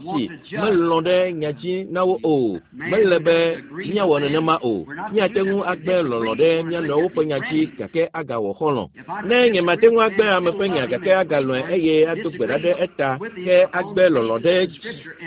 si melɔ̃ ɖe nya dzi na wo o. Mele be míawɔ nenema o. Míate ŋu agbe lɔlɔ̃ ɖe mía nɔewo ƒe nya dzi gake agawɔ xɔlɔ̃. Ne nyemate ŋu agbe ame ƒe nya gake agalɔ̃e eye ado gbe ɖa ɖe eta ke agbe lɔlɔ̃ ɖe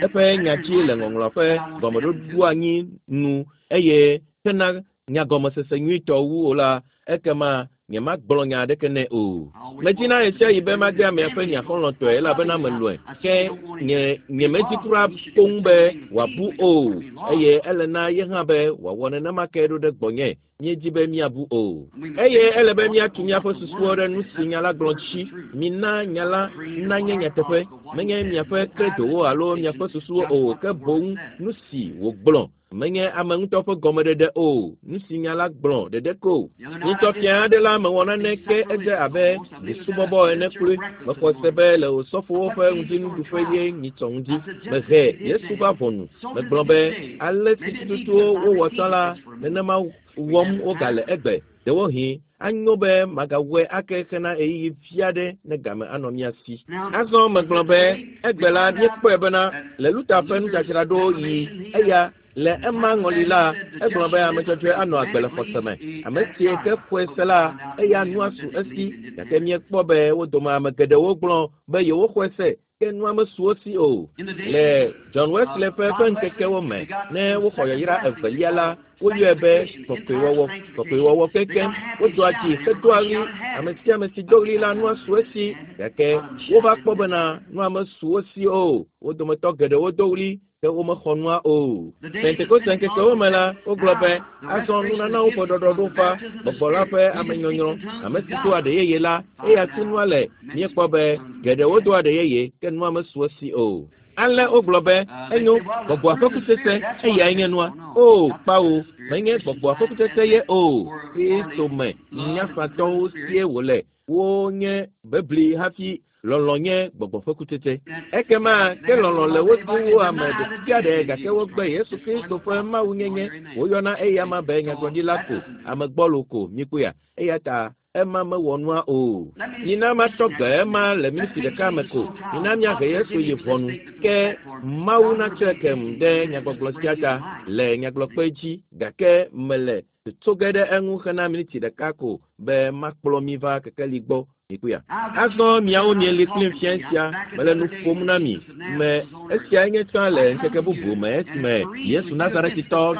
eƒe nya dzi le ŋɔŋlɔ ƒe gɔmeɖoɖoanyi nu eye hena nyagɔmesese nyuitɔ wu o la, ekema Nyemagblɔ nya aɖeke nɛ o. Medina ɣe sia ɣi be mage amea ƒe nya xɔlɔ̃tɔe elabena melɔ̃e. Ke nye nyemedi kura koŋ be wòabu o eye ele na ye hã be wòawɔ nenema ke ɖo ɖe gbɔnye. Míedi be míabu o. Eye ele be míatu míaƒe susuwo ɖe nu si nya la gblɔ dzi. Mina nya la nanye nyateƒe. Menye miaƒe kredowo alo miaƒe susuwo o, ke boŋ nu si wògblɔ. Menye ame ŋutɔ ƒe gɔmeɖeɖe o, nu si nya la gblɔ ɖeɖe ko. Nyitsɔ fia aɖe la mewɔ naneke edze abe busubɔbɔ ene kloe. Mexɔ se be le osɔfowo ƒe ŋutinuɖuƒe ye nyitsɔ ŋdi. Mehe Yesu va ʋɔnu. Megblɔ be ale si tututuwo wowɔ tsã la, nenema wɔm wogale egbe. Ɖewohĩ anyo be magawɔe ake hena ɣeyiɣi vi aɖe ne game anɔ mía si. Azɔ megblɔ be egbe la míekpɔe bena le Luther ƒe nudzadzraɖo yi eya le ema ŋɔli la egblɔ be ame dzɔdzɔe anɔ agbe le xɔse me. Ame si ke xɔe se la eya nua su esi gake míekpɔ be wo dome ame geɖewo gblɔ be yewoxɔe se ke nua mesu wo si o. Le John Wesley ƒe ƒe ŋkekewo me ne woxɔ yayra evelia la woyɔe be kɔkɔewɔwɔ kɔkɔewɔwɔ kekem wodoa dzi hedoa ɣli ame sia ame si do ɣli la nua su esi gake wova kpɔ bena nua mesu wo si o. Wo dometɔ geɖewo do ɣli ke womexɔ nua o. Pentekoste ŋkekewo me la wogblɔ be azɔ nunanawo ƒe ɖɔɖɔɖo va gbɔgbɔ la ƒe amenyɔnyrɔ ame si doa ɖe yeye la eya si nua le míekpɔ be geɖewo doa ɖe yeye ke nua mesu esi o. Ale wogblɔ be enyo gbɔgbɔa ƒe kutsetse eyae nye nua. O kpawo menye gbɔgbɔa ƒe kutsetse ye o. Kristo me nyafatɔwo sie wòle. Wonye bebli hafi lɔlɔ̃ nye gbɔgbɔ ƒe kutsetse. Ekema ke lɔlɔ̃ le wo si wu ame ɖe sia ɖe gake wogbe Yesu Kristo ƒe mawunyenye. Woyɔna eyama be nyagblɔɖila ko, ame gbɔlo ko míkpɔea. Eya ta ema mewɔ nua o. Mina matɔ gbe ema le miniti ɖeka me ko. Mina míahe Yesu yi ʋɔnu. Ke Mawu natsɔe kem ɖe nyagbɔgblɔ sia ta le nyagblɔkpe dzi gake mele tso ge ɖe eŋu hena miniti ɖeka ko be makplɔ mi va kekeli gbɔ mikpɔea. Azɔ miawo mieli kplim fia sia mele nu ƒom na mi me esia nye tsã le ŋkeke bubu me esime Yesu Nazaretitɔ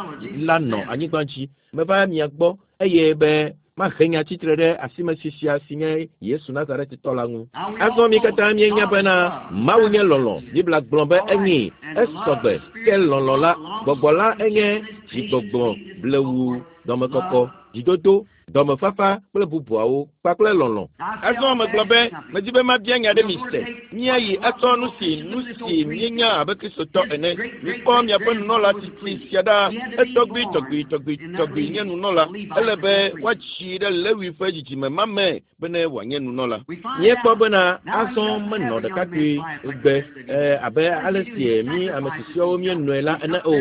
la nɔ anyigba dzi. Meva mia gbɔ eye be mahe nya tsitre ɖe asimesi sia si nye Yesu Nazaretitɔ la ŋu. Azɔ mi katã míenya bena Mawu nye lɔlɔ̃. Biblia gblɔ be enyi esɔgbe ke lɔlɔ̃ la gbɔgbɔ la enye dzigbɔgbɔ blewu dɔmekɔkɔ dzidodo dɔmefafa kple bubuawo kpakple lɔlɔ̃. Azɔ megblɔ be medi be mabia nya ɖe mi se. Míayi atsɔ nu si nu si míenya abe Kristotɔ ene. Mikpɔ miaƒe nunɔla tsitsi sia ɖa. Etɔgbui tɔgbui tɔgbui tɔgbui nye nunɔla. Ele be woatsi ɖe Lewi ƒe dzidzime ma me bene wòanye nunɔla. Míekpɔ bena azɔ menɔ ɖekakpui gbe abe ale si mí ame susɔewo míenɔe la ene o.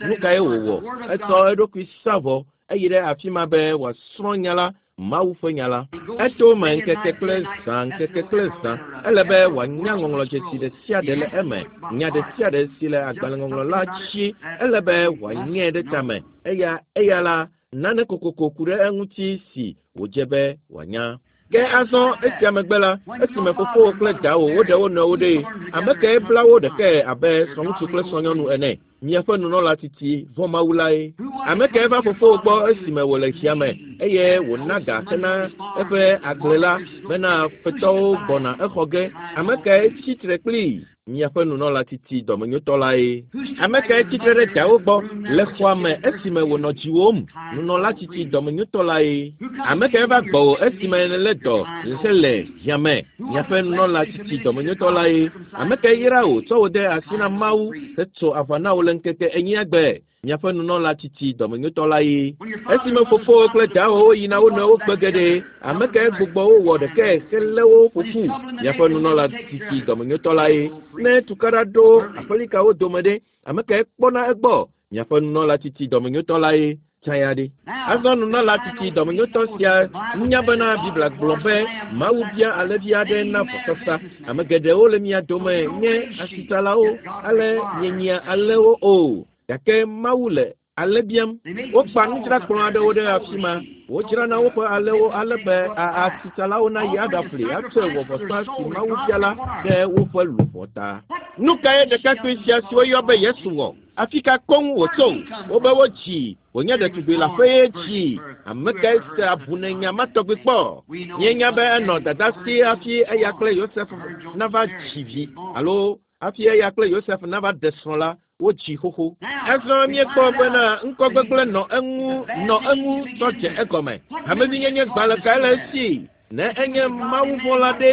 Nu kae wòwɔ? Etsɔ eɖokui sa vɔ eyi ɖe afi ma be wòasrɔ̃ nya la Mawu ƒe nya la. Eto me ŋkeke kple zã ŋkeke kple zã. Ele be wòanya ŋɔŋlɔdzesi ɖe sia ɖe le eme. Nya ɖe sia ɖe si le agbalẽŋɔŋlɔ la dzi ele be wòanyae ɖe tame. Eya eya la nane kokoko ku ɖe eŋuti si wòdze be wòanya. Ke azɔ esia megbe la, esime fofowò kple dawò woɖe wo nɔewo ɖee, ame kae bla wo ɖekae abe srɔ̃ŋutsu kple srɔ̃nyɔnu ene? Miaƒe nunɔla tsitsi vɔ̃ Mawu lae. Ame kae va fofowò gbɔ esime wòle xia me eye wòna ga hena eƒe agble la bena fetɔwo gbɔna exɔ ge? Ame kae tsitre kplii? Miaƒe nunɔla tsitsi dɔmenyotɔ lae. Ame kae tsitre ɖe dawo gbɔ le xɔa me esime wònɔ dziwòm? Nunɔla tsitsi dɔmenyotɔ lae. Ame kae va gbɔwò esime nèlé dɔ hele hiã me? Miaƒe nunɔla tsitsi dɔmenyotɔ lae. Ame kae yra wò tsɔ wò de asi na Mawu hetso aʋa na wò le ŋkeke enyia gbe? Miaƒe nunɔla tsitsi dɔmenyotɔ lae. Esime fofowò kple dawòwo yina wo nɔewo gbe geɖe, ame kae gbugbɔ wo wɔ ɖekae helé wo ƒo ƒu? Miaƒe nunɔla tsitsi dɔmenyotɔ lae. Ne tukaɖa ɖo aƒelikawo dome ɖe, ame kae kpɔna egbɔ? Miaƒe nunɔla tsitsi dɔmenyotɔ lae. Tsã ya ɖe. Azɔ nunɔla tsitsi dɔmenyotɔ sia nya bena Biblia gblɔ be Mawu bia alẽvi aɖe na vɔsasa. Ame geɖewo le mia dome nye asitsalawo ale mienyia alẽwo o. Gake Mawu le alẽ biam. Wokpa nudzrakplɔ aɖewo ɖe afi ma. Wodzrana woƒe alẽwo ale be asitsalawo nayi aɖaƒli atsɔe wɔ vɔsa si Mawu bia la ɖe woƒe luʋɔ ta. Nu kae ɖekakpui sia si woyɔ be Yesu wɔ? Afi ka koŋ wòtso? Wobe wodzi wònye ɖetugbui le aƒe ye dzi. Ame kae se abunenya ma tɔgbi kpɔ? Míenya be enɔ dada si hafi eya kple Yosef nava dzi vi alo hafi eya kple Yosef nava ɖe srɔ̃ la, wodzi xoxo. Azɔ míekpɔ bena ŋkɔ gbegblẽ nɔ eŋu nɔ eŋu tsɔ dze egɔme. Hamevinyenye gbalẽ kae le esi? Ne enye mawuvɔ̃la ɖe,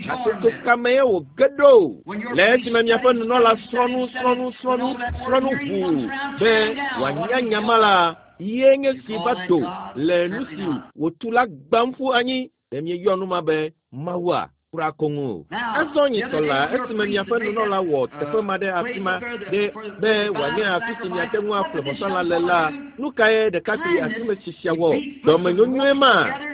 hatsotso ka mee wòge ɖo? Le esime miaƒe nunɔla srɔ̃ nu srɔ̃ nu srɔ̃ nu srɔ̃ nu ʋuu be wòanya nya ma la, ye nye si va do le nu si wòtu la gbãm ƒu anyi. Ɖe mieyɔ nu ma be Mawua? Kura koŋ o. Azɔ nyitɔ la, esime miaƒe nunɔla wɔ teƒe ma ɖe afi ma ɖe be wòanye afi si miate ŋu aƒle vɔsalã le la, nu kae ɖekakpui asimesi sia wɔ? Dɔmenyonyoe ma.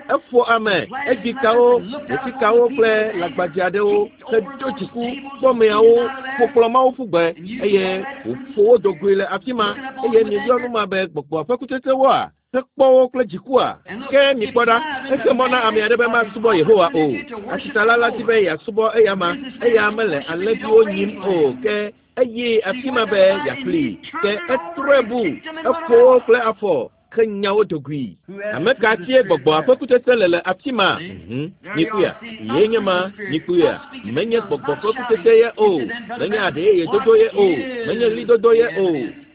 Eƒo ame, edzi kawo, ɖetikawo kple lãgbadze aɖewo hedo dziku kpɔ ameawo ƒo kplɔ mawo ƒu gbe eye wòƒo wo do goe le afi ma eye mieyɔ nu ma be gbɔgbɔa ƒe kutsetsewoa? Hekpɔ wo kple dzikua? Ke mikpɔ ɖa, exe mɔ na ame aɖe be masubɔ Yehowa o. Asitsala la di be yeasubɔ eyama, eya mele alẽviwo nyim o, ke eye afi ma be yeaƒli. Ke etrɔe bu, eƒo wo kple afɔ henya wo do goe. Ame ka sie gbɔgbɔa ƒe kutsetse le le afi ma? Mhm. Mikpɔea? Yee nye ma. Mikpɔea? Menye gbɔgbɔ ƒe kutsetse ye o. Menye aɖe yeye dodo ye o. Menye ɣlidodo ye o.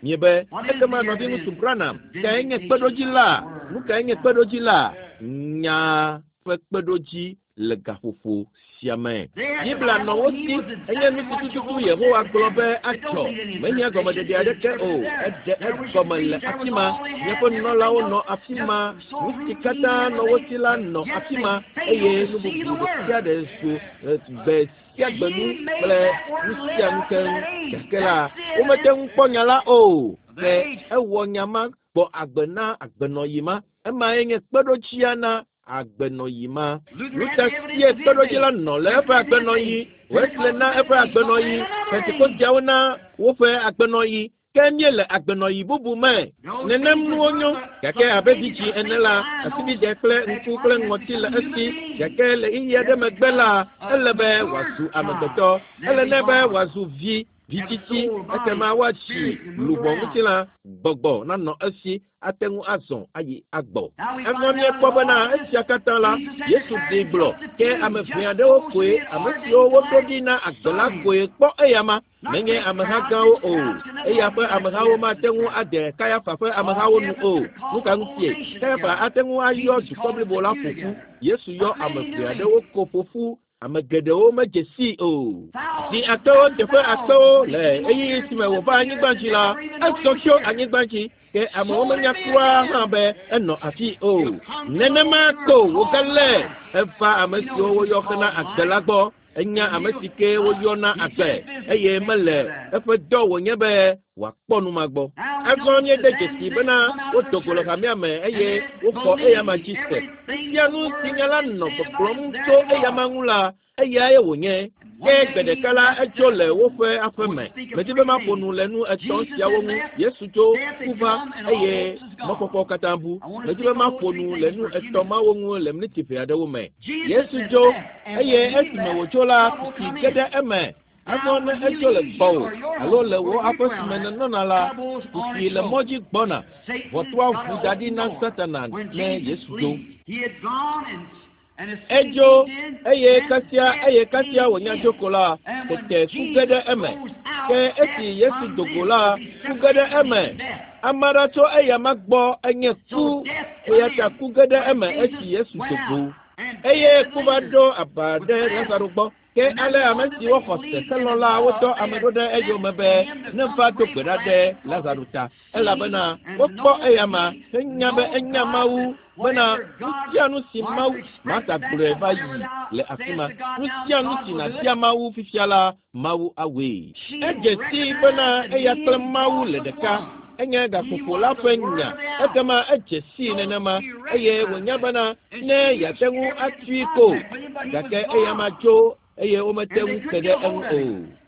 Miebe, ekema nɔviŋutsu Branham, kae nye kpeɖodzi la? Nu kae nye kpeɖodzi la? Nya ƒe kpeɖodzi le gaƒoƒo sia me. Biblia nɔ wo si, enye nu si tututu Yehowa gblɔ be adzɔ. Mehiã gɔmeɖeɖe aɖeke o, eɖe egɔme le afi ma. Míaƒe nunɔlawo nɔ afi ma, nu si katã nɔ wo si la nɔ afi ma, eye nu bubu ɖe sia ɖe zu gbe sia gbe nu kple nu sia nu keŋ. Gake la, womete ŋu kpɔ nya la o. Ke ewɔ nya ma gbɔ agbe na agbenɔɣi ma. Emae nye kpeɖodzia na agbenɔɣi ma. Luther sie kpeɖodzi la nɔ le eƒe agbenɔɣi, Wesley na eƒe agbenɔɣi, Pentekosteawo na woƒe agbenɔɣi, ke míele agbenɔɣi bubu me. Nenem nuwo nyo, gake abe vidzĩ ene la, asibidɛ kple ŋku kple ŋɔti le esi, gake le ɣeyiɣi aɖe megbe la, ele be wòazu amegbetɔ. Ele nɛ be wòazu vi, vitsitsi, ekema woatsi luʋɔ ŋutilã, gbɔgbɔ nanɔ esi ate ŋu azɔ ayi agbɔ. Azɔ míekpɔ bena esia katã la, Yesu ɖee gblɔ, ke ame ʋɛ aɖewo koe, ame siwo woɖo ɖi na agbe la koe kpɔ eyama, menye ameha gãwo o. Eya ƒe amehawo mate ŋu ade Kayafa ƒe amehawo nu o. Nu ka ŋutie? Kayafa ate ŋu ayɔ dukɔ blibo la ƒo ƒu. Yesu yɔ ame ʋɛ aɖewo ko ƒo ƒu. Ame geɖewo medze sii o. Zi akpewo teƒe akpewo le ɣeyiɣi si me wòva anyigba dzi la, ezɔ tso anyigba dzi, ke amewo menya kura hã be enɔ afi o. Nenema ko wògalé eva ame siwo woyɔ hena agbe la gbɔ. Enya ame si ke woyɔ na agbe eye mele eƒe dɔ wònye be wòakpɔ nu ma gbɔ. Azɔ míede dzesi bena wodo go le hamea me eye woxɔ eyama dzi se. Fifia nu si nya la nɔ gbɔgblɔm tso eyama ŋu la, eyae wònye. Ke gbe ɖeka la edzo le woƒe aƒe me. Medi be maƒo nu le nu etɔ̃ siawo ŋu. Yesu dzo, ku va eye mɔkpɔkpɔ katã bu. Medi be maƒo nu le nu etɔ̃ mawo ŋu le miniti ʋɛ aɖewo me. Yesu dzo eye esime wòdzo la, kuxi ge ɖe eme. Azɔ ne edzo le gbɔwò alo le wò aƒe si me nènɔna la, kuxi le mɔ dzi gbɔna. Ʋɔtrua ʋu da ɖi na Satana ne Yesu dzo. Edzo eye kasia eye kasia wònya dzo ko la, tete ku ge ɖe eme. Ke esi Yesu do go la, ku ge ɖe eme. Ame aɖe tso eyama gbɔ enye ku, eya ta ku ge ɖe eme esi Yesu do go. Eye ku va ɖo aba ɖe Lazaro gbɔ. Ke ale ame siwo xɔ se helɔ̃ la wodɔ ame ɖo ɖe eyome be neva do gbe ɖa ɖe Lazaro ta, elabena wokpɔ eyama henya be enya Mawu bena nu sia nu si Mawu Marta gblɔe va yi le afi ma, nu sia nu si nàbia Mawu fifia la, Mawu awɔe. Edze sii bena eya kple Mawu le ɖeka. Enye gaƒoƒo la ƒe nya. Ekema edze sii nenema eye wònya bena ne yeate ŋu atui ko. Gake eyama dzo eye womete ŋu ke ɖe eŋu o.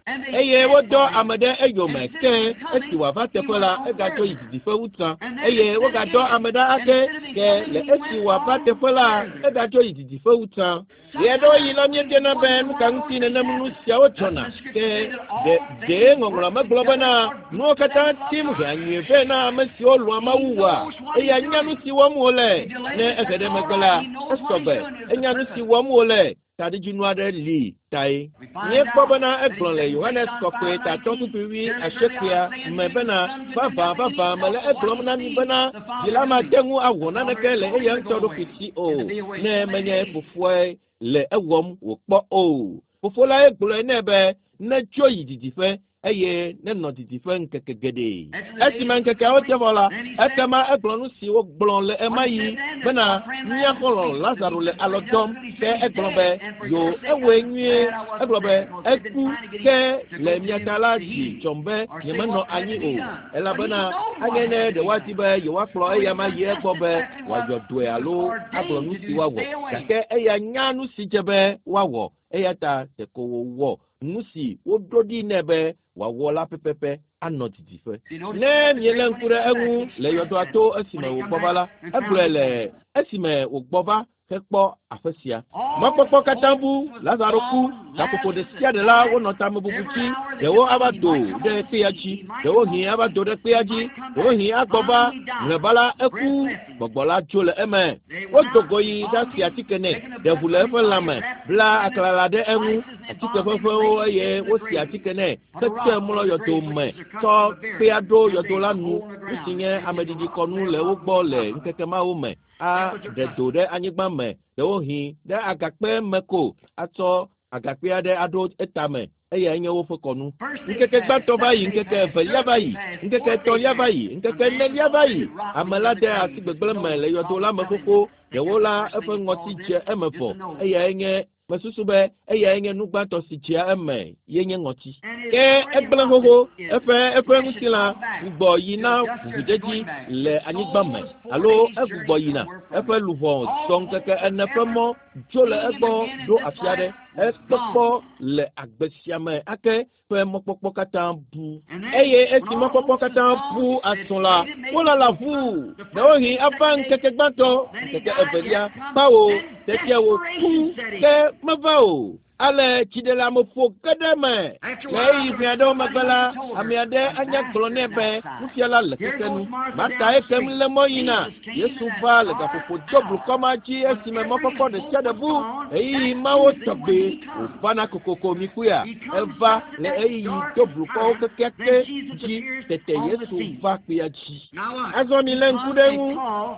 Eye wodɔ ame ɖe eyome ke esi wòava teƒe la, egadzo yi didiƒe wu tsã. Eye wogadɔ ame ɖa ake ke le esi wòava teƒe la, egadzo yi didiƒe wu tsã. Ɣeaɖewoɣi la míebiana be nu ka ŋuti nenem nu siawo dzɔna. Ke ɖe ɖee ŋɔŋlɔa megblɔ bena nuwo katã tim hea nyuie vɛ na ame siwo lɔ̃a Mawu oa? Eya nya nu si wɔm wòle. Ne ehe ɖe megbe la, esɔgbe. Enya nu si wɔm wòle. Taɖodzinu aɖe li tae. Míekpɔ bena egblɔ le Yohanes Kɔkɔe tatɔ kpukpui wuiasiekɛa me bena, Vavã, vavã, mele egblɔm na mi bena, Vi la mate ŋu awɔ naneke le eya ŋutɔ ɖokui si o, ne menye fofoae le ewɔm wòkpɔ o. Fofo lae gblɔe nɛ be netso yi didiƒe eye nenɔ didiƒe ŋkeke geɖe. Esime ŋkekeawo te vɔ la, ekema egblɔ nu si wogblɔ le ɣemaɣi bena, Mía xɔlɔ̃ Lazaro le alɔ dɔm. Ke egblɔ be, Yo, ewɔe nyuie. Egblɔ be, Eku, ke le mia ta la dzi dzɔm be nyemenɔ anyi o, elabena anye ne ɖe woadi be yewoakplɔ eyama yi egbɔ be wòayɔ dɔe alo agblɔ nu si woawɔ. Gake eya nya nu si dze be woawɔ, eya ta ɖeko wòwɔ nu si woɖo ɖi nɛ be wòawɔ la pɛpɛpɛ anɔ didiƒe. Ne mielé ŋku ɖe eŋu le yɔdoa to esime wògbɔ va la, egblɔe le esime wògbɔ va hekpɔ aƒe sia. Mɔkpɔkpɔ katã bu, Lazaro ku. Gaƒoƒo ɖe sia ɖe la, wonɔ tamebubu dzi. Ɖewo ava do ɖe kpea dzi, ɖewohĩ ava do ɖe kpea dzi, ɖewohĩ agbɔ va. Mlɔeba la, eku. Gbɔgbɔ la dzo le eme. Wodo go yi ɖasi atike nɛ, ɖe ʋu le eƒe lãme, bla aklala ɖe eŋu, atike ʋeʋẽwo eye wosi atike nɛ hetsɔe mlɔ yɔdo me, tsɔ kpea ɖo yɔdo la nu, nu si nye ameɖiɖikɔnu le wo gbɔ le ŋkeke mawo me, aɖe do ɖe anyigba me, ɖewohĩ ɖe agakpe me ko, atsɔ agakpe aɖe aɖo etame. Eyae nye woƒe kɔnu. Ŋkeke gbãtɔ va yi, ŋkeke evelia va yi, ŋkeke etɔ̃lia va yi, ŋkeke enelia va yi. Ame la de asi gbegblẽ me le yɔdo la me xoxo. Ɖewo la, eƒe ŋɔti dze eme vɔ. Eyae nye, mesusu be eyae nye nu gbãtɔ si dzea eme ye nye ŋɔti. Ke egblẽ xoxo, eƒe eƒe ŋutilã gbugbɔ yi na ʋuʋudedi le anyigba me, alo egbugbɔ yina. Eƒe luʋɔ zɔ ŋkeke ene ƒe mɔ dzo le egbɔ ɖo afi aɖe. Ekpɔkpɔ le agbe sia me ake ƒe mɔkpɔkpɔ katã bu. Eye esi mɔkpɔkpɔ katã bu azɔ la, wolala ʋuu. Ɖewohĩ ava ŋkeke gbãtɔ, ŋkeke evelia, kpawo, tete wòku, ke meva o. Ale dziɖeleameƒo ge ɖe eme. Le ɣeyiɣi ʋɛ aɖewo megbe la, ame aɖe anya gblɔ nɛ be nufiala le keke nu. Marta ekem lé mɔ yina. Yesu va le gaƒoƒo do blukɔ ma dzi esime mɔkpɔkpɔ ɖe sia ɖe bu. Ɣeyiɣi mawo tɔgbe wòvana kokoko mikpɔea? Eva le ɣeyiɣi do blukɔwo kekeake dzi tete Yesu va kpea dzi. Azɔ milé ŋku ɖe eŋu.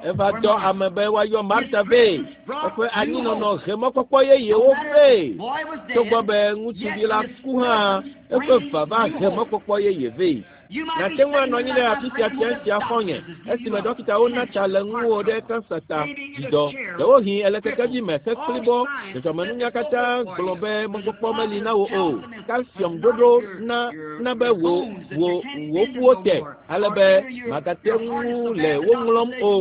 Eva dɔ ame be woayɔ Marta vɛ. Eƒe anyinɔnɔ he mɔkpɔkpɔ yeyewo vɛ. Togbɔ be ŋutsuvi la ku hã, eƒe vava he mɔkpɔkpɔ yeye vɛ. Nàte ŋu anɔ anyi ɖe afi sia fia sia xɔ̃nye esime ɖɔkitawo na tsa le ŋuwò ɖe kansa ta, dzidɔ, ɖewohĩ èle kekevi me hekplibɔ. Dzɔdzɔmenunya katã gblɔ be mɔkpɔkpɔ meli na wò o. Kalsiɔm ɖoɖo na na be wò wò wò ƒuwo te ale be màgate ŋu le wo ŋlɔm o.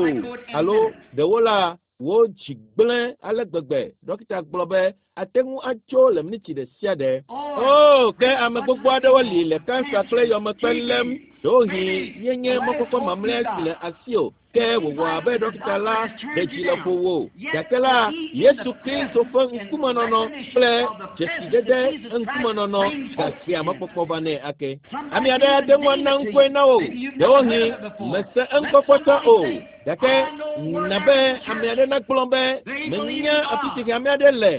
Alo ɖewo la, wò dzi gblẽ ale gbegbe. Ɖɔkita gblɔ be ate ŋu atso le miniti ɖe sia ɖe. O, ke ame gbogbo aɖewo li le kansa kple yɔmekpe lém. Ɖewohĩ yenye mɔkpɔkpɔ mamlɛa si le asiwò ke wòwɔ abe ɖɔkita la ɖe dzi le ƒowò. Gake la, Yesu Kristo ƒe ŋkumenɔnɔ kple dzesidede ŋkumenɔnɔ gahea mɔkpɔkpɔ va nɛ ake. Ame aɖe ate ŋu ana ŋkɔe na wò. Ɖewohĩ mèse eŋkɔ kpɔtɔ o. Gake na be ame aɖe nagblɔ be menya afi si ame aɖe le.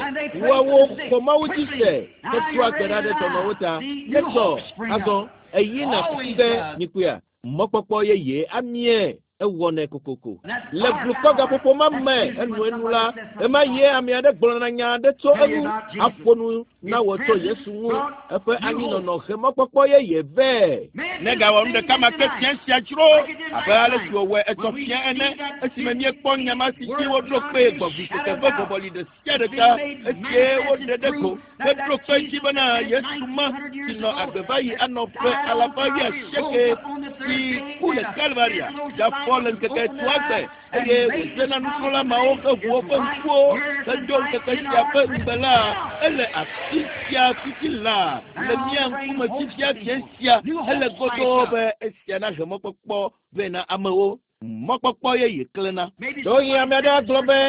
Woawo xɔ Mawu dzi se hetoa gbe ɖa ɖe dɔnɔwo ta. Netsɔ azɔ eyina kuku ge mikpɔea mɔkpɔkpɔ yeye amie ewɔnɛ kokoko. Le blukɔ gaƒoƒo ma me enuenu la, ɣemaɣie ame aɖe gblɔna nya aɖe tso eŋu aƒo nu na wò tso Yesu ŋu. Eƒe anyinɔnɔ he mɔkpɔkpɔ yeye vɛ. Negawɔ nu ɖeka ma ke fia sia dzro abe ale si wòwɔe etsɔ fia ene esime míekpɔ nya ma si dzi woɖo kpee gbɔgbi keke ƒe vɔvɔli ɖe sia ɖe ta esie woɖe ɖe go heɖo kpe dzi bena Yesu ma si nɔ agbe va yi anɔ ƒe alafa wuiasieke si ku le Kalvaria gafɔ le ŋkeke etɔ̃a gbe. eye wòdze na nusrɔ̃la mawo heʋu woƒe ŋkuwo hedo ŋkeke sia ƒe ŋugbe la, ele afi sia fifi laa le mía ŋkume fifia fia sia hele godoo be esia nahe mɔkpɔkpɔ vɛ na amewo. Mɔkpɔkpɔ yeye klẽna. Ɖewohĩ ame aɖe agblɔ be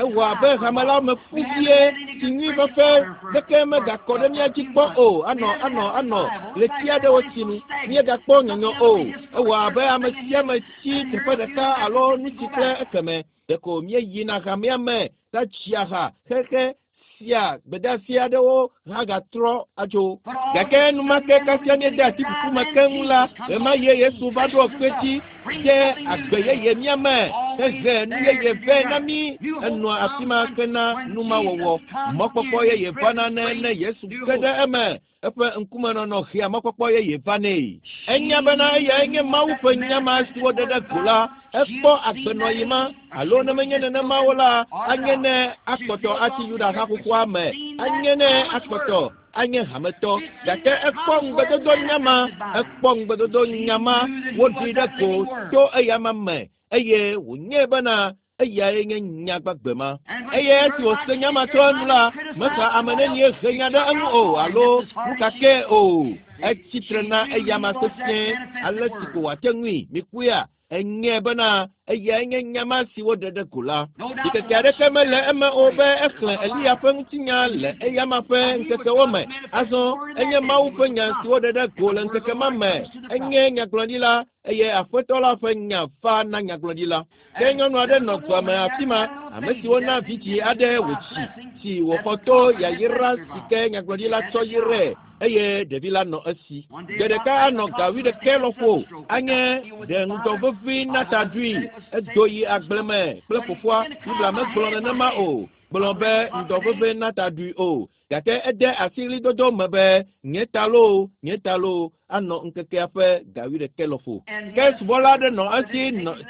ewɔ abe hame la me ƒu vie si nyui fefe ɖeke megakɔ ɖe mía dzi kpɔ o anɔ anɔ anɔ ɣleti aɖewo sinu. Míegakpɔ nyɔnyɔ o. Ewɔ abe ame sia ame tsi teƒe ɖeka alo nu si kple ekeme. Ɖeko míeyina hamea me ɖatsia ha xexe sia gbedeasi aɖewo hã gatrɔ atso. Gake enumake kasia míede asi kuku me keŋ la, ɣemaɣie Yesu va ɖo kpe dzi de agbe yeye mía me hehe nu yeye vɛ na mí. Enɔa afi ma hena numawɔwɔ. Mɔkpɔkpɔ yeye vana ne ne Yesu ge ɖe eme. Eƒe ŋkumenɔnɔ hea mɔkpɔkpɔ yeye vanɛ. Enya bena eyae nye Mawu ƒe nya ma si woɖe ɖe go la, ekpɔ agbenɔɣi ma, alo ne menye nenema o la, anye ne akpɔtɔ atsi Yuda ha xoxoa me, anye ne akpɔtɔ anye hametɔ. Gake ekpɔ ŋugbedodo nya ma, ekpɔ ŋugbedodo nya ma, woɖoe ɖe go to eyama me, eye wònyae bena eyae nye nya gbagbe ma. Eye esi wòse nya ma tso enu la, mexa ame nenie he nya ɖe eŋu o alo nu ka kee o. Etsi tre na eyama sesĩe ale si ko wòate ŋui. Mikpɔea? Enyae bena eyae nye nya ma si woɖe ɖe go la. Ɖikeke aɖeke mele eme o be exlẽ Eliya ƒe ŋutinya le eyama ƒe ŋkekewo me. Azɔ enye Mawu ƒe nya si woɖe ɖe go le ŋkeke ma me. Enye nyagblɔɖila eye Aƒetɔ la ƒe nya va na nyagblɔɖila. Ke nyɔnu aɖe nɔ dua me afi ma, ame si wona vidzĩ aɖe wòtsi, si wòxɔ to yayra si ke nyagblɔɖila tsɔ yrae eye ɖevi la nɔ esi. Gbe ɖeka anɔ ga wuiɖekɛ lɔƒo anye ɖe ŋdɔ vevi na ta ɖui. Edo yi agble me kple fofoa. Biblia megblɔ nenema o. Gblɔ be ŋdɔ vevi na ta ɖui o. Gake ede asi ɣlidodo me be nye ta loo, nye ta loo, anɔ ŋkekea ƒe ga wuiɖekɛ lɔƒo. Ke subɔla aɖe nɔ esi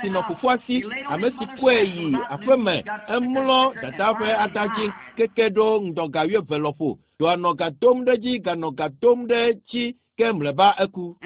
si nɔ fofoa si, ame si kɔe yi aƒe me, emlɔ dadaa ƒe ata dzi keke ɖo ŋdɔ ga wuieve lɔƒo. Dɔa nɔ ga dom ɖe edzi ganɔ ga dom ɖe edzi ke mlɔeba eku.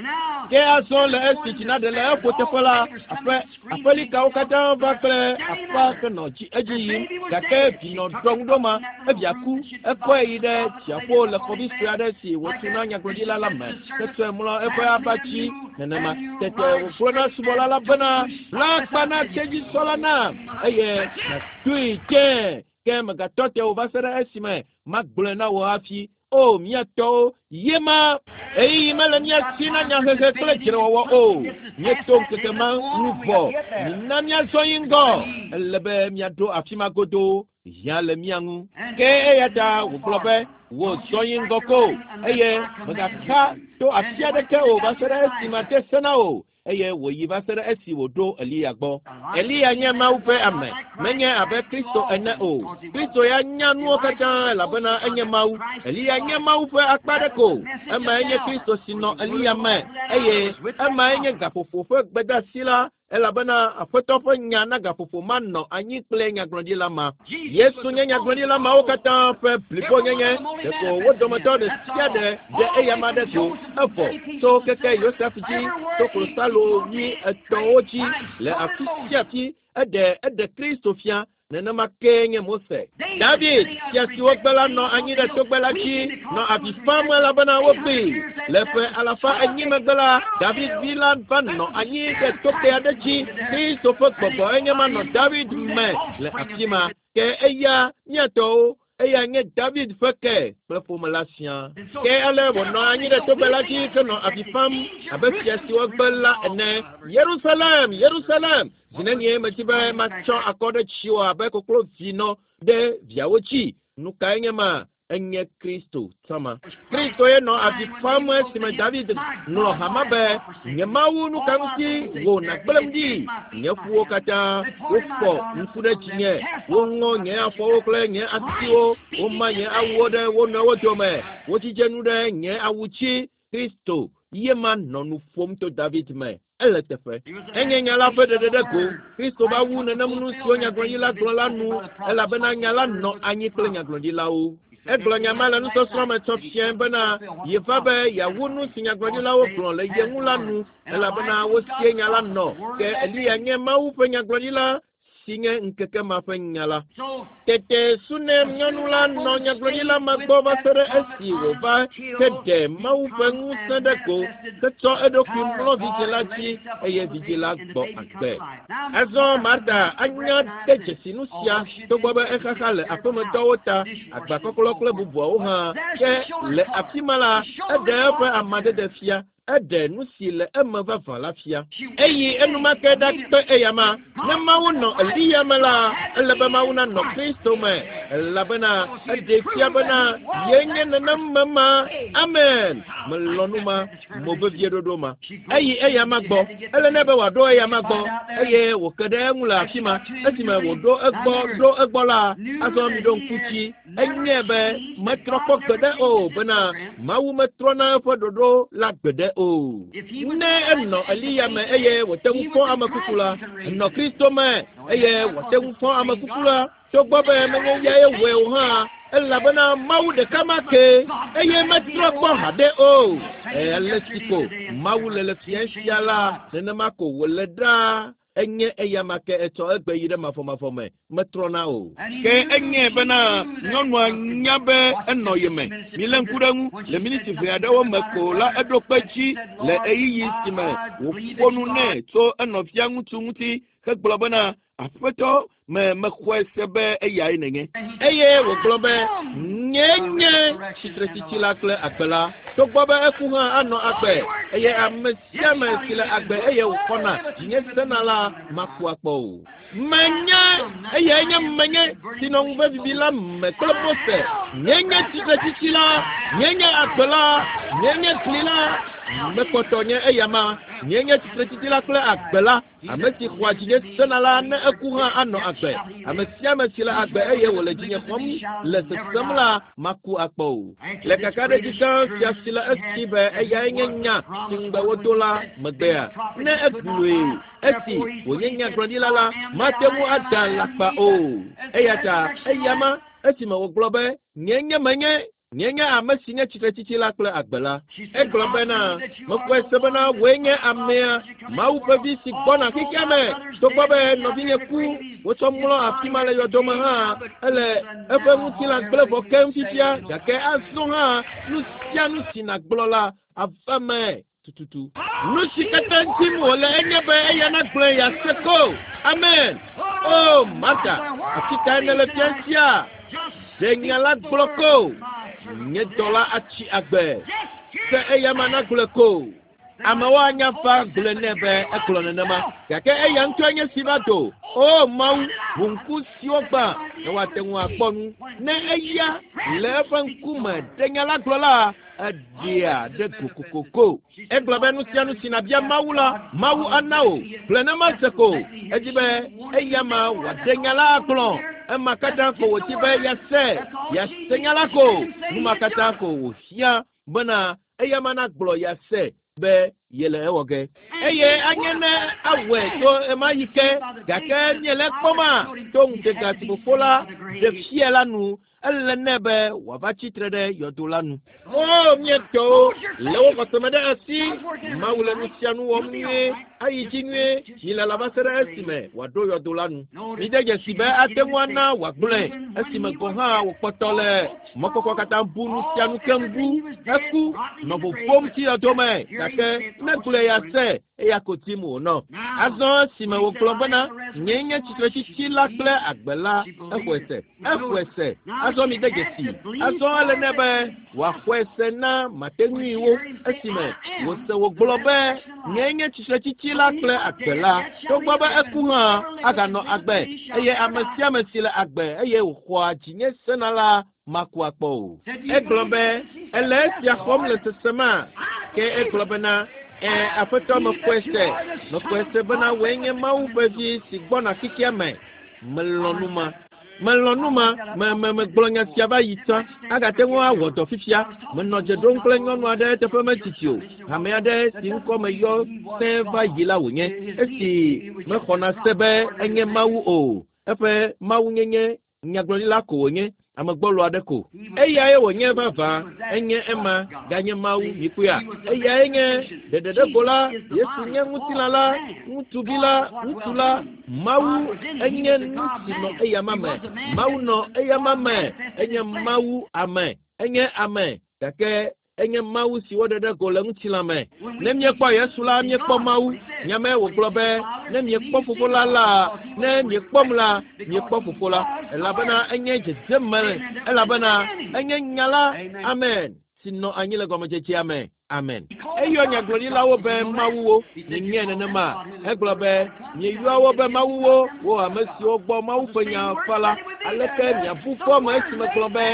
Ke azɔ le esi tsi naɖe le eƒo teƒe la, aƒe aƒelikawo katã va kple aƒea henɔ dzi edzi yim gake vi nɔ ɖɔ ŋu ɖo ma evia ku. Ekɔe yi ɖe dziaƒo le xɔvi sue aɖe si wòtu na nyagblɔɖila la me hetsɔe mlɔ eƒe aba dzi nenema. Tete wògblɔ na subɔla la bena, bla akpa na tedzisɔ la nam eye nàdoe tsɛ ke megatɔ te o va se ɖe esime magblɔe na wò hafi. O mía tɔwo, ye ma ɣeyiɣi mele mía si na nyahehe kple dzrewɔwɔ o. Míeto ŋkeke ma ŋu vɔ. Mina míazɔ yi ŋgɔ. Ele be míaɖo afi ma godoo. Hiã le mía ŋu. Ke eya ta wògblɔ be wò zɔ yi ŋgɔ ko eye mègaxa to afi aɖeke o va se ɖe esi made se na wò. Eye wòyi va se ɖe esi wòɖo Eliya gbɔ. Eliya nye Mawu ƒe ame, menye abe Kristo ene o. Kristo ya nya nuwo katã elabena enye Mawu. Eliya nye Mawu ƒe akpa ɖe ko. Emae nye Kristo si nɔ Eliya me eye emae nye gaƒoƒo ƒe gbedeasi la elabena Aƒetɔ ƒe nya na gaƒoƒo ma nɔ anyi kple nyagblɔɖila ma. Yesu nye nyagblɔɖila mawo katã ƒe blibonyenye. Ɖeko wo dometɔ ɖe sia ɖe ɖe eyama ɖe go evɔ tso keke Yosef dzi to klosalo wuietɔ̃wo dzi le afi sia afi eɖe eɖe Kristo fia. Nenema kee nye Mose. David, fia si wogbe la nɔ anyi ɖe togbɛ la dzi nɔ avi fam elabena wogbee. Le ƒe alafa enyi megbe la, David vi la va nɔ anyi ɖe togbɛ aɖe dzi. Kristo ƒe gbɔgbɔ enye ma nɔ David me le afi ma. Ke eya mía tɔwo eya nye David ƒe ke kple ƒome la siaa. Ke ale wònɔ anyi ɖe togbɛ la dzi henɔ avi fam abe fia si wogbe la ene. Yerusalem, Yerusalem, zi nenie medi be matsɔ akɔ ɖe dziwò abe koklovinɔ ɖe viawo dzi. Nu kae nye ma? Enye Kristo tsɔma. Kristo ye nɔ avi fam esime David ŋlɔ hama be, nye Mawu nu ka ŋuti wò nàgblẽm ɖi? Nye ƒuwo katã wofɔ ŋku ɖe dzinye, woŋɔ nye afɔwo kple nye asiwo, woma nye awuwo ɖe wo nɔewo dome, wodzidze nu ɖe nye awu dzi. Kristo ye ma nɔ nu ƒom to David me. Ele teƒe. Enye nya la ƒe ɖeɖe ɖe go. Kristo va wu nenem nu siwo nyagblɔɖila gblɔ la nu elabena nya la nɔ anyi kple nyagblɔɖilawo. Egblɔ nya ma le nusɔsrɔ̃ me tsɔ fiae bena yeva be yeawu nu si nyagblɔɖilawo gblɔ le ye ŋu la nu elabena wosie nya la nɔ. Ke Eliya nye Mawu ƒe nyagblɔɖila si nye ŋkeke ma ƒe nya la. Tete Sunem nyɔnu la nɔ nyagblɔɖila ma gbɔ va se ɖe esi wòva heɖe Mawu ƒe ŋusẽ ɖe go hetsɔ eɖokui mlɔ vidzĩ la dzi eye vidzĩ la gbɔ agbe. Azɔ Marta anya de dzesi nu sia togbɔ be exaxa le aƒemetɔwo ta, agbakɔklɔ kple bubuawo hã. Ke le afi ma la, eɖe eƒe amadede fia. Eɖe nu si le eme vavã la fia. Eyi enumake ɖakpe eyama. Ne Mawu nɔ Eliya me la, ele be Mawu nanɔ Kristo me, elabena eɖee fia bena yenye nenem me ma. Amen. Melɔ̃ nu ma, mo vevie ɖoɖo ma. Eyi eyama gbɔ. Ele nɛ be wòaɖo eyama gbɔ eye wòke ɖe eŋu le afi ma. Esime wòɖo egbɔ ɖo egbɔ la, azɔ miɖo ŋku dzi. Enyae be metrɔ kpɔ gbeɖe o bena Mawu metrɔna eƒe ɖoɖo la gbeɖe o. Ne enɔ Eliya me eye wòte ŋu fɔ ame kuku la, enɔ Kristo me eye wòate ŋu fɔ ame kuku la, togbɔ be menye eyae wɔe o hã, elabena Mawu ɖeka ma ke eye metrɔ kpɔ haɖe o. Ale si ko Mawu le le fia sia la, nenema ko wòle ɖaa. Enye eyama ke etsɔ egbe yi ɖe mafɔmafɔ me, metrɔna o. Ke enyae bena nyɔnua nya be enɔ ye me. Milé ŋku ɖe eŋu. Le miniti ʋɛ aɖewo me ko la, eɖo kpe dzi le ɣeyiɣi si me wòƒo nu nɛ tso enɔvia ŋutsu ŋuti hegblɔ bena, Aƒetɔ, me mexɔe se be eyae nènye. Eye wògblɔ be, Nyee nye tsitretsitsi la kple agbe la. Togbɔ be eku hã anɔ agbe, eye ame sia ame si le agbe eye wòxɔna dzinye sena la maku akpɔ o. Menye eyae nye menye si nɔ ŋuve vivi la me kple Mose. Nyee nye tsitretsitsi la, nyee nye agbe la, nyee nye gli la. Mekpɔtɔ nye eyama. Nyee nye tsitretsitsi la kple agbe la. Ame si xɔa dzinye sena la, ne eku hã anɔ agbe. Ame sia ame si le agbe eye wòle dzinye xɔm le sesem la, maku akpɔ o. Le kakaɖedzi gã sia si le esi be eyae nye nya si ŋugbe wodo la megbea, ne egblɔe esi wònye nyagblɔɖila la, mate ŋu ada alakpa o. Eya ta eyama esime wògblɔ be, Nyee nye menye, Nye nye ame si nye tsitretsitsi la kple agbe la. Egblɔ bena, Mexɔe se bena wòe nye amea, Mawu ƒe vi si gbɔna xexea me. Togbɔ be nɔvinye ku, wotsɔ mlɔ afi ma le yɔdo me hã, ele eƒe ŋutilã gblẽ vɔ keŋ fifia, gake azɔ hã nu sia nu si nàgblɔ la ava eme tututu. Nu si katã dim wòle enye be eya nagblɔe yease ko. Amen. O, Marta, afi kae nèle fia sia? Ɖe nya la gblɔ ko. Nye dɔla atsi agbe. Se eyama nagblɔe ko. Amewo anya va gblɔe nɛ be egblɔ nenema, gake eya ŋutɔe nye si va do. O, Mawu, ʋu ŋku siwo gbã ne woate ŋu akpɔ nu. Ne eya le eƒe ŋkume ɖe nya la gblɔ la, eɖea ɖe go kokoko. Egblɔ be nu sia nu si nàbia Mawu la, Mawu ana wò. Gblɔe ne mase ko. Edi be eyama wòaɖe nya la agblɔ. Ema katã ko wòdi be yease. Yease nya la ko. Nu ma katã ko wòhiã bena eyama nagblɔ yease be yele ewɔ ge. Eye anye ne awɔe tso ɣemaɣi ke, gake míele ekpɔma to ŋutega si Fofo la ɖe fia la nu. Ele nɛ be wòava tsi tre ɖe yɔdo la nu. O, mía tɔwo, lé wo xɔse me ɖe asi. Mawu le nu sia nu wɔm nyuie, ayi dzi nyuie. Milala va se ɖe esime wòaɖo yɔdo la nu. Mide dzesi be ate ŋu ana wòagblɔe esime gɔ̃ hã wòkpɔtɔ le mɔkpɔkpɔ katã bu nu sia nu keŋ bu. Eku, nɔ vovom tsi yɔdo me, gake ne gblɔe yease, eya ko dim wònɔ. Azɔ esime wògblɔ bena, Nyee nye tsitretsitsi la kple agbe la, exɔe se. Exɔe se. Azɔ mide dzesi. Azɔ ele nɛ be wòaxɔe se na mateŋuiwo esime wòse wògblɔ be, Nyee nye tsitretsitsi la kple agbe la. Togbɔ be eku hã, aganɔ agbe, eye ame sia ame si le agbe eye wòxɔa dzinye sena la maku akpɔ o. Egblɔ be, Èle esia xɔm le sesema? Ke egblɔ bena, Ẽ, Aƒetɔ, mexɔe se. Mexɔe se bena wòe nye Mawu ƒe Vi si gbɔna xexea me. Melɔ̃ nu ma. Melɔ̃ nu ma. Me, me, megblɔ nya sia va yi tsã. Agate ŋu awɔ dɔ fifia. Menɔ dze ɖom kple nyɔnu aɖe eteƒe metsitsi o. Hame aɖe si ŋkɔ meyɔ sẽ va yi la wònye. Esi mexɔna se be enye Mawu o. Eƒe Mawunyenye nyagblɔɖila ko wònye. Ame gbɔlo aɖe ko. Eyae wònye vavã, enye ema, ganye Mawu, mikpɔea. Eyae nye ɖeɖeɖego la, Yesu nye ŋutilã la, ŋutsuvi la, ŋutsu la, Mawu enye nu si nɔ eyama me. Mawu nɔ eyama me, enye Mawu ame, enye ame, gake enye Mawu si woɖe ɖe go le ŋutilã me. Ne míekpɔ Yesu la, míekpɔ Mawu. Nya mae wògblɔ be, Ne miekpɔ Fofo la la, ne miekpɔm la, miekpɔ Fofo la. Elabena enye dzedzeme, elabena enye Nya la, amen, si nɔ anyi le gɔmedzedzea me. Amen. Eyɔ nyagblɔɖilawo be mawuwo. Mienyae nenema? Egblɔ be, Mieyɔa wo be mawuwo, wo ame siwo gbɔ Mawu ƒe nya va la. Aleke miabu fɔm esi megblɔ be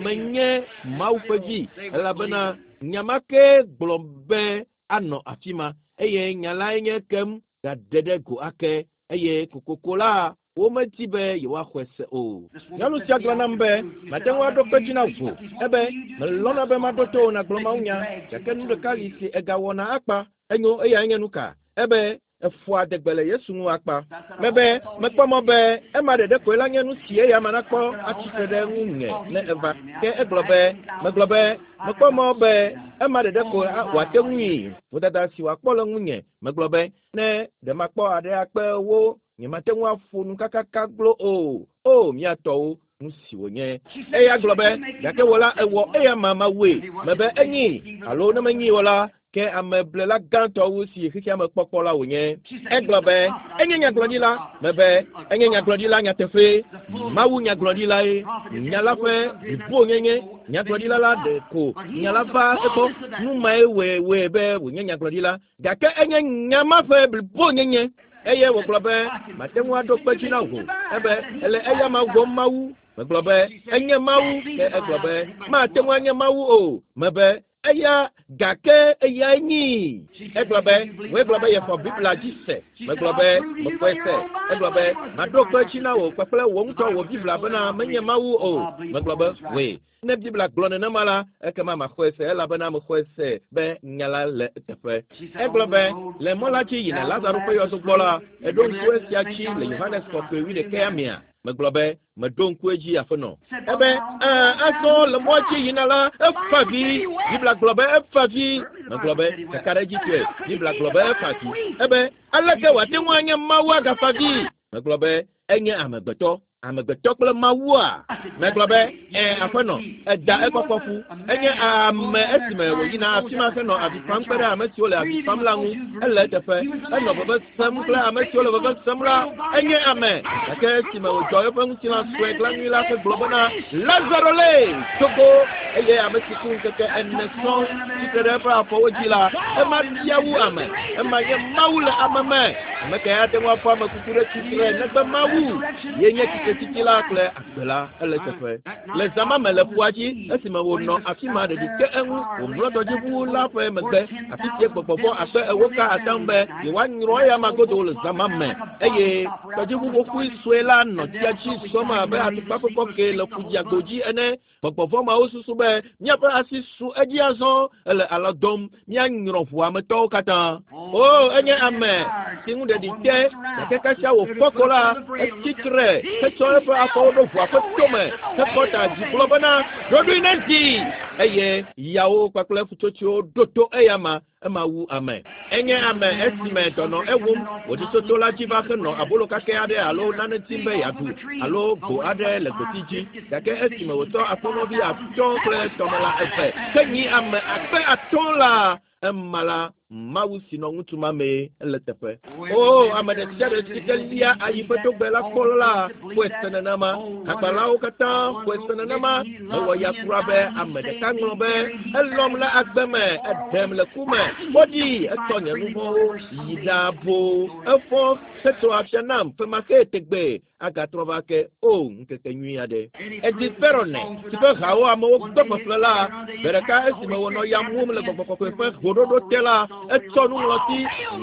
menye Mawu ƒe vi? Elabena nya ma kee gblɔ be anɔ afi ma, eye nya lae nye ekem gaɖe ɖe go ake, eye kokoko la, womedi be yewoaxɔe se o. Nyɔnu sia gblɔ nam be, Mate ŋu aɖo kpe dzi na wò. Ebe, Melɔ̃na be maɖo to wò nàgblɔ mawunya, gake nu ɖeka li si ègawɔna akpa. Enyo, eyae nye nuka? Ebe, Eƒoa adegbe le Yesu ŋu akpa. Mebe, Mekpɔ mɔ be ema ɖeɖe koe la nye nu si eyama nakpɔ atsi tre ɖe ŋunye ne eva. Ke egblɔ be, Megblɔ be, Mekpɔ mɔ be ema ɖeɖe koe wòate ŋui, vodada si wòakpɔ le ŋunye. Megblɔ be, Ne ɖe makpɔ aɖe akpe wo, nyemate ŋu aƒo nu kakaka glo o. O, mía tɔwo, nu si wònye. Eya gblɔ be, Gake wò la, èwɔ eyama mawue. Mebe, Enyii, alo ne menyii o la, ke ameblela gãtɔ wu si xexea me kpɔkpɔ la wònye. Egblɔ be, Enye nyagblɔɖila. Mebe, Enye nyagblɔɖila nyateƒee. Mawu nyagblɔɖilae. Nya la ƒe blibonyenye. Nyagblɔɖila la ɖe ko nya la va egbɔ. Nu mae wɔe wɔe be wònye nyagblɔɖila. Gake enye nya ma ƒe blibonyenye. Eye wògblɔ be, Mate ŋu aɖo kpe edzi na wò. Ebe, Ele eyama wɔm Mawu. Megblɔ be, Enye Mawu. Ke egblɔ be, Mate ŋu anye Mawu o. Mebe, Eya, gake eyae nyii. Egblɔ be, Wòe gblɔ be yexɔ Biblia dzi se. Megblɔ be, Mexɔe se. Egblɔ be, Maɖo kpe edzi na wò kpakple wò ŋutɔ wò Biblia bena menye Mawu o. Megblɔ be, Wòe. Ne Biblia gblɔ nenema la, ekema maxɔe se elabena mexɔe se be nya la le eteƒe. Egblɔ be, Le mɔ la dzi yina Lazaro ƒe yɔdo gbɔ la, èɖo ŋku esia dzi le Yohanes Kɔkɔe wuiɖekɛa mea? Megblɔ be, Meɖo ŋku edzi, aƒenɔ. Ebe, Ẽ, azɔ le mɔa dzi yina la, efa vi. Biblia gblɔ be efa vi. Megblɔ be, Kakaɖedzitɔe, Biblia gblɔ be efa vi. Ebe, Aleke wòate ŋu anye Mawu agafa vi? Megblɔ be, Enye amegbetɔ. Amegbetɔ kple Mawua? Megblɔ be, Ẽ, aƒenɔ, eda ekpɔkpɔ ƒu. Enye ame esime wòyina afi ma henɔ avi fam kpe ɖe ame siwo le avi fam la ŋu. Ele eteƒe. Enɔ veve sem kple ame siwo le veve sem la. Enye ame. Gake esime wòdzɔ eƒe ŋutilã sue glanui la hegblɔ bena, Lazaro lee! Do go! Eye ame si ku ŋkeke ene sɔŋ tsi tre ɖe eƒe afɔwo dzi la, ema bia wu ame. Ema nye Mawu le ame me. Ame kae ate ŋu afɔ ame kuku ɖe tsitre negbe Mawu? Ye nye tsitretsitsi la kple agbe la. Ele eteƒe. Le zã ma me le ƒua dzi, esime wònɔ afi ma ɖeɖi te eŋu, wòmlɔ tɔdziʋu la ƒe megbe, afi sie gbɔgbɔ vɔ̃ akpe ewo ka atam be yewoanyrɔ eyama godoo le zã ma me. Eye tɔdziʋu xoxoe sue la nɔ tsia dzi zɔm abe atukpa ƒe kɔkɛ le ƒudziago dzi ene. Gbɔgbɔ vɔ̃ mawo susu be, Míaƒe asi su edzi azɔ, ele alɔ dɔm, míanyrɔ ʋua me tɔwo katã. O, enye ame si ŋu ɖeɖi te, gake kasia wòfɔ ko la, etsi tre hetsɔ eƒe afɔwo ɖo ʋua ƒe tome hekɔ ta dzi gblɔ bena, Ɖoɖoe nezi! Eye yawo kpakple ƒutsotsoewo ɖo to eyama. Ema wu ame. Enye ame esime dɔ nɔ ewum, wòɖi tso to la dzi va henɔ abolo kakɛ aɖe alo nane dim be yeaɖu, alo go aɖe le gboti dzi. Gake esime wòtsɔ akpɔnɔvi atɔ̃ kple tɔmelã eve henyi ame 500,000 la, ema la, Mawu si nɔ ŋutsu ma mee ele teƒe. Oo, ame ɖe sia ɖe si ke lia ayi ƒe togbɛ la kpɔ la xɔe se nenema. Hakpalawo katã xɔe se nenema. Mewɔ ya kura be ame ɖeka ŋlɔ be, Elɔ̃m le agbe me, eɖem le ku me. Woɖii, etsɔ nye nu vɔ̃wo yi ɖaa boo. Efɔ hetso afia nam femaxee tegbee. Agatrɔ va ake. O, ŋkeke nyui aɖe. Edzi Perowne, si ƒe hawo amewo gbe ƒeƒle la, gbe ɖeka esime wònɔ ya mum le Gbɔgbɔ Kɔkɔe ƒe hoɖoɖo te la, etsɔ nuŋlɔti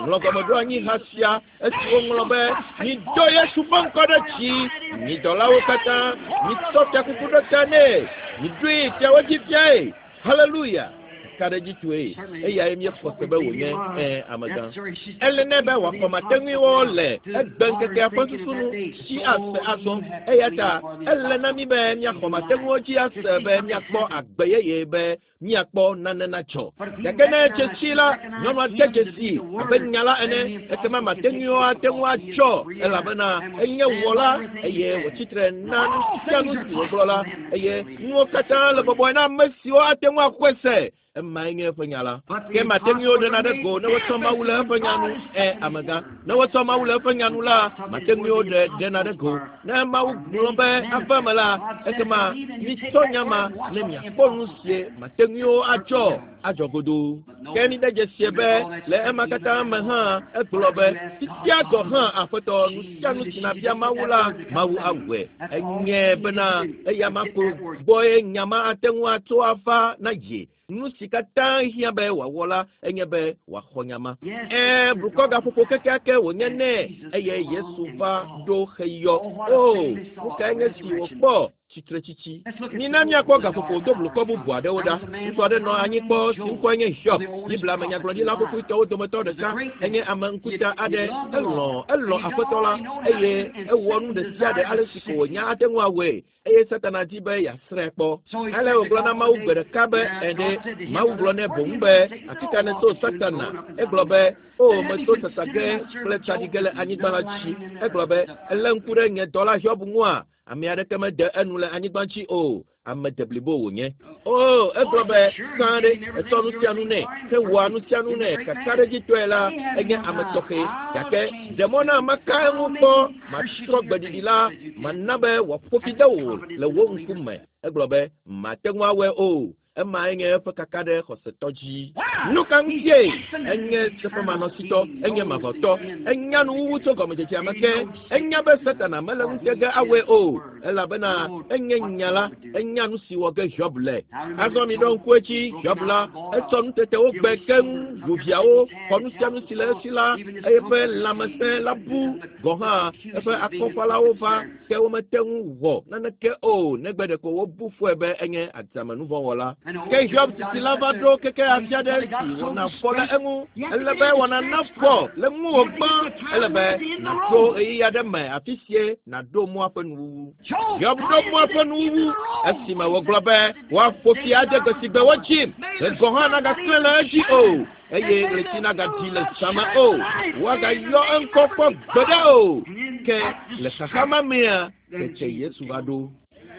ŋlɔ gɔmeɖoanyi ha sia esi woŋlɔ be, Mido Yesu ƒe ŋkɔ ɖe dzi, mi dɔlawo katã, mitsɔ fiakuku ɖo ta nɛ, miɖoe fiawo dzi fiae. Haleluya! kakaɖedzi tsoe eyae míexɔ se be wònye ẽ amegã. Ele nɛ be wòaxɔ mateŋuiwo le egbe ŋkekea ƒe susu nu tsi ase azɔ eya ta ele na mí be míaxɔ mateŋuiwo dzi ase be míakpɔ agbe yeye be míakpɔ nane natsɔ. Gake ne dzesi la, nyɔnua de dzesi abe nya la ene, ekema mateŋuiwo ate ŋu atsɔ elabena enye wɔla eye wòtsitre na nu sia nu si wògblɔ la eye nuwo katã le bɔbɔe na ame siwo ate ŋu axɔe se. Emae nye eƒe nya la. Ke mateŋuiwo ɖena ɖe go ne wotsɔ Mawu le eƒe nya nu. Ẽ, amegã. Ne wotsɔ Mawu le eƒe nya nu la, mateŋuiwo ɖe ɖena ɖe go. Ne Mawu gblɔ be ava eme la, ekema mitsɔ nya ma ne miakpɔ nu sie mateŋuiwo atsɔ adzɔ godoo. Ke mide dzesie be le ema katã me hã egblɔ be fifia gɔ̃ hã Aƒetɔ nu sia nu si nàbia Mawu la, Mawu awɔe. Enyae bena eya ma ko gbɔe nya ma ate ŋu atso ava na ye. Nu si katã hiã be wòawɔ la enye be wòaxɔ nya ma. Ɛ̃, blukɔ gaƒoƒo kekeake wònye nɛ eye Yesu va ɖo xeyɔ. O, nu kae nye si wòkpɔ? Tsitretsitsi. Mina míakpɔ gaƒoƒo do blukɔ bubu aɖewo ɖa. Ŋutsu aɖe nɔ anyi kpɔ si ŋkɔe nye Hiob. Biblia me nyagblɔɖila xoxoetɔwo dometɔ ɖeka. Enye ame ŋkuta aɖe. Elɔ̃, elɔ̃ Aƒetɔ la eye ewɔ nu ɖe sia ɖe ale si ko wònya ate ŋu awɔe. Eye Satana di be yeasrãe kpɔ. Ale wògblɔ na Mawu gbe ɖeka be, Ɛ̃ ɖe, Mawu gblɔ nɛ boŋ be, Afi ka nètso Satana? Egblɔ be, O, metso sasa ge kple tsaɖi ge le anyigba la dzi. Egblɔ be, Èlé ŋku ɖe nye dɔla Hiob ŋua? Ame aɖeke mede enu le anyigba dzi o. Ame deblibo wònye. O, egblɔ be, Sã ɖe, ètsɔ nu sia nu nɛ, hewɔa nu sia nu nɛ kakaɖedzitɔe la, enye ame tɔxɛ. Gake ɖe mɔ na maka eŋu kpɔ, matrɔ gbeɖiɖi la, mana be wòaƒo fi de wò le wò ŋkume. Egblɔ be, Mate ŋu awɔe o. Emae nye eƒe kaka ɖe xɔsetɔ dzi. Nu ka ŋutie? Enye seƒemanɔsitɔ, enye mavɔtɔ, enya nuwuwu tso gɔmedzedzea me ke. Enya be Satana mele ŋute ge awɔe o, elabena enye nya la, enya nu si wɔ ge Hiob le. Azɔ miɖo ŋku edzi, Hiob la, etsɔ nutetewo gbe keŋ, ʋu viawo, xɔ nu sia nu si le esi la, eye eƒe lãmesẽ la bu gɔ̃ hã. Eƒe akɔfalawo va ke womete ŋu wɔ naneke o negbe ɖeko wobu fɔe be enye adzamenuvɔ̃wɔla. Ke Hiob sisi la va ɖo keke afi aɖe si wɔna fɔ le eŋu. Ele be wɔna nafɔ le ŋuwò gbã. Ele be nàɖo ɣeyiɣi aɖe me afi sie nàɖo mɔa ƒe nuwuwu. Hiob ɖo mɔa ƒe nuwuwu esime wògblɔ be woaƒo fi ade gbe si gbe wodzim, ɣe gɔ̃ hã nagaklẽ le edzi o eye ɣleti nagaɖi le zã me o, woagayɔ eŋkɔ kpɔ gbeɖe o. Ke le xaxa ma mea, tete Yesu va ɖo.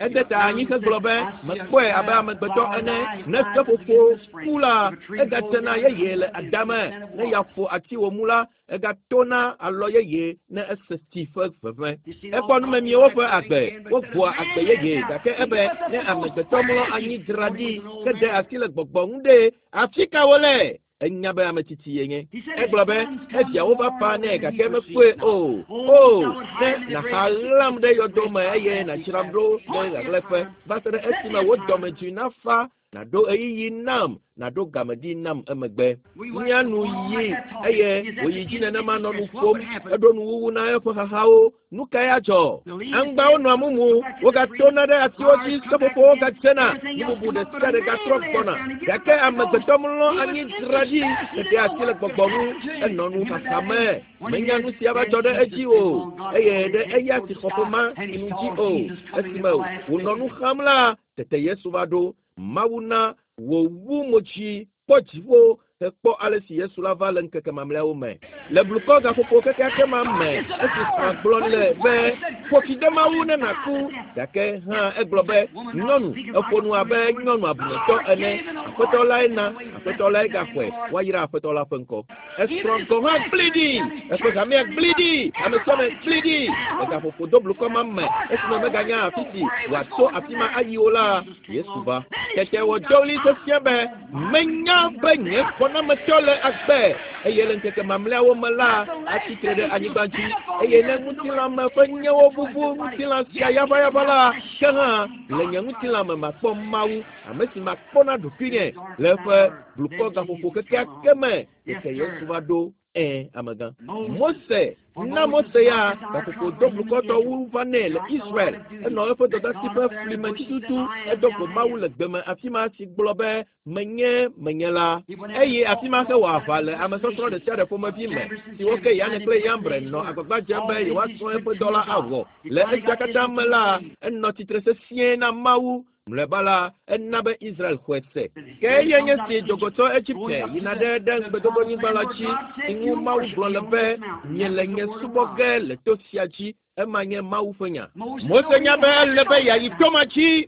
Ede ta anyi hegblɔ be, Mekpɔe abe amegbetɔ ene, ne seƒoƒo ku la, egatena yeye le adame, ne ya ƒo ati wòmu la, egatona alɔ yeye ne ese tsi ƒe ʋeʋẽ. Ekpɔ numemiwo ƒe agbe, wogbɔa agbe yeye, gake ebe ne amegbetɔ mlɔ anyi dzra ɖi hede asi le gbɔgbɔ ŋu ɖe, afi ka wole? Enya be ame tsitsi yenye. Egblɔ be eviawo va fa nɛ gake mekpɔe o. O, ne nàxa ɣlam ɖe yɔdo me eye nàdzram ɖo ɖe ɣaɣlɛƒe va se ɖe esime wò dɔmedzoe nafa nàɖo ɣeyiɣi nam, nàɖo game ɖi nam emegbe. Mía nu yi eye wòyi dzi nenema nɔ nu ƒom, eɖo nuwuwu na eƒe xaxawo. Nu kae adzɔ? Aŋgbawo nɔa mumu, wogatona ɖe atiwo dzi, seƒoƒowo gadzena, nu bubu ɖe sia ɖe gatrɔ gbɔna. Gake amegbetɔ mlɔ anyi dzra ɖi, eɖe asi le gbɔgbɔ ŋu, enɔ nu xaxa me. Menya nu si ava dzɔ ɖe edzi o, eye ɖe eya si xɔ ƒe ma si nu dzi o. Esime wònɔ nu xam la, tete Yesu va ɖo. Mawu na wòwu mo dzi kpɔ dziƒo hekpɔ ale si Yesu la va le ŋkeke mamlɛawo me. Le blukɔ gaƒoƒo kekeake ma me, esi srɔ̃a gblɔ le be, Ƒo fi de Mawu ne nàku, gake hã egblɔ be, Nyɔnu, èƒo nu abe nyɔnu abunetɔ ene. Aƒetɔ lae na, Aƒetɔ lae gaxɔe, woayra Aƒetɔ la ƒe ŋkɔ. Esrɔ̃ gɔ̃ hã gblẽe ɖi, eƒe hamea gblẽe ɖi, ame sia ame gblẽe ɖi. Le gaƒoƒo do blukɔ ma me, esime meganya afi si wòatso afi ma ayi o la, Yesu va. Tete wòdo ɣli sesĩe be, Menya be nye xɔnametɔ le agbe, eye le ŋkeke mamlɛawo me la, atsi tre ɖe anyigba dzi. Eye ne ŋutilã me ƒe nyewo vuvu ŋutilã sia yaʋayaʋa la, ke hã le nye ŋutilã me makpɔ Mawu, ame si makpɔ na ɖokuinye le eƒe blukɔ gaƒoƒo kekeake me. Tete Yesu va ɖo. Ẽ, amegã. Mose, na Mose ya gaƒoƒo do blukɔtɔ wu va nɛ le Israel. Enɔ eƒe dɔdasi ƒe fli me tututu. Edo go Mawu le gbe me afi ma si gblɔ be menye menye la. Eye afi ma hewɔ aʋa le amesɔsrɔ̃ ɖe sia ɖe ƒomevi me siwo ke Yane kple Yambre nɔ agbagba dzem be yewoasrɔ̃ eƒe dɔ la awɔ. Le esia katã me la, enɔ tsitre sesĩe na Mawu. Mlɔeba la, ena be Israel xɔe se. Ke eyae nye si dogo tso Egipte yina ɖe ɖe ŋugbedodonyigba la dzi, si ŋu Mawu gblɔ le be, Miele nye subɔ ge le to sia dzi. Ema nye Mawu ƒe nya. Mose nya be ele be yeayi to ma dzi.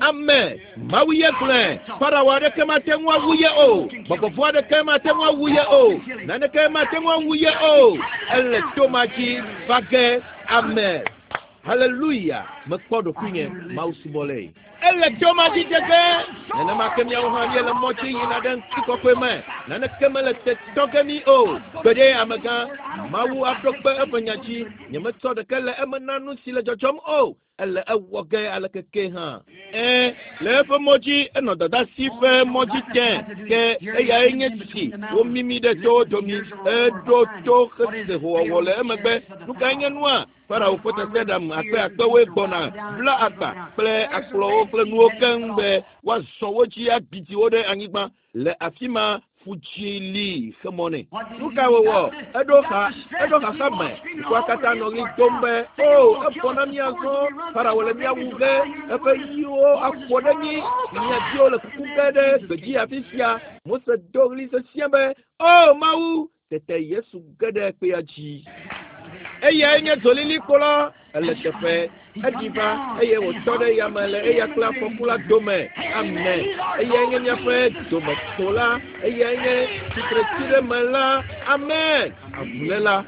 Amen. Mawu ye gblɔe. Farao aɖeke mate ŋu awu ye o. Gbɔgbɔ vɔ̃ aɖeke mate ŋu awu ye o. Naneke mate ŋu awu ye o. Ele to ma dzi va ge. Amen. Haleluya! Mekpɔ ɖokuinye Mawu subɔlae. Ele to ma dzi dzege. Nenema ke míawo hã míele mɔ dzi yina ɖe ŋutikɔkɔe me. Naneke mele te tɔ ge mí o. Gbeɖe amegã, Mawu aɖo kpe eƒe nya dzi. Nyemetsɔ ɖeke le eme na nu si le dzɔdzɔm o. Ele ewɔ ge aleke ke hã. Ẽ, le eƒe mɔ dzi, enɔ dɔdasi ƒe mɔ dzi tẽ, ke eyae nye si womimi ɖe towo domi. Eɖo to hese howɔwɔ le emegbe. Nu kae nye nua? Farao ƒe tasiaɖam akpe akpewoe gbɔna bla agba kple akplɔwo kple nuwo keŋ be woazɔ wo dzi agbidi wo ɖe anyigba. Le afi ma ƒu dzi li xe mɔ nɛ. Nu ka wòwɔ? Eɖo xa, eɖo xaxa me. Dukɔa katã nɔ ɣli dom be, O, evɔ na mí azɔ! Farao le mía wu ge, eƒe yiwo aƒo ɖe mí, mía viwo le kuku ge ɖe gbedzi afi sia. Mose do ɣli sesĩe be, O, Mawu! Tete Yesu ge ɖe kpea dzi. Eyae nye dzolilikpo la. Ele teƒe. Eɖi va eye wòtɔ ɖe yame le eya kple afɔku la dome. Amen. Eyae nye míaƒe dometsola. Eyae nye tsitretsiɖeme la. Amen. Avuléla.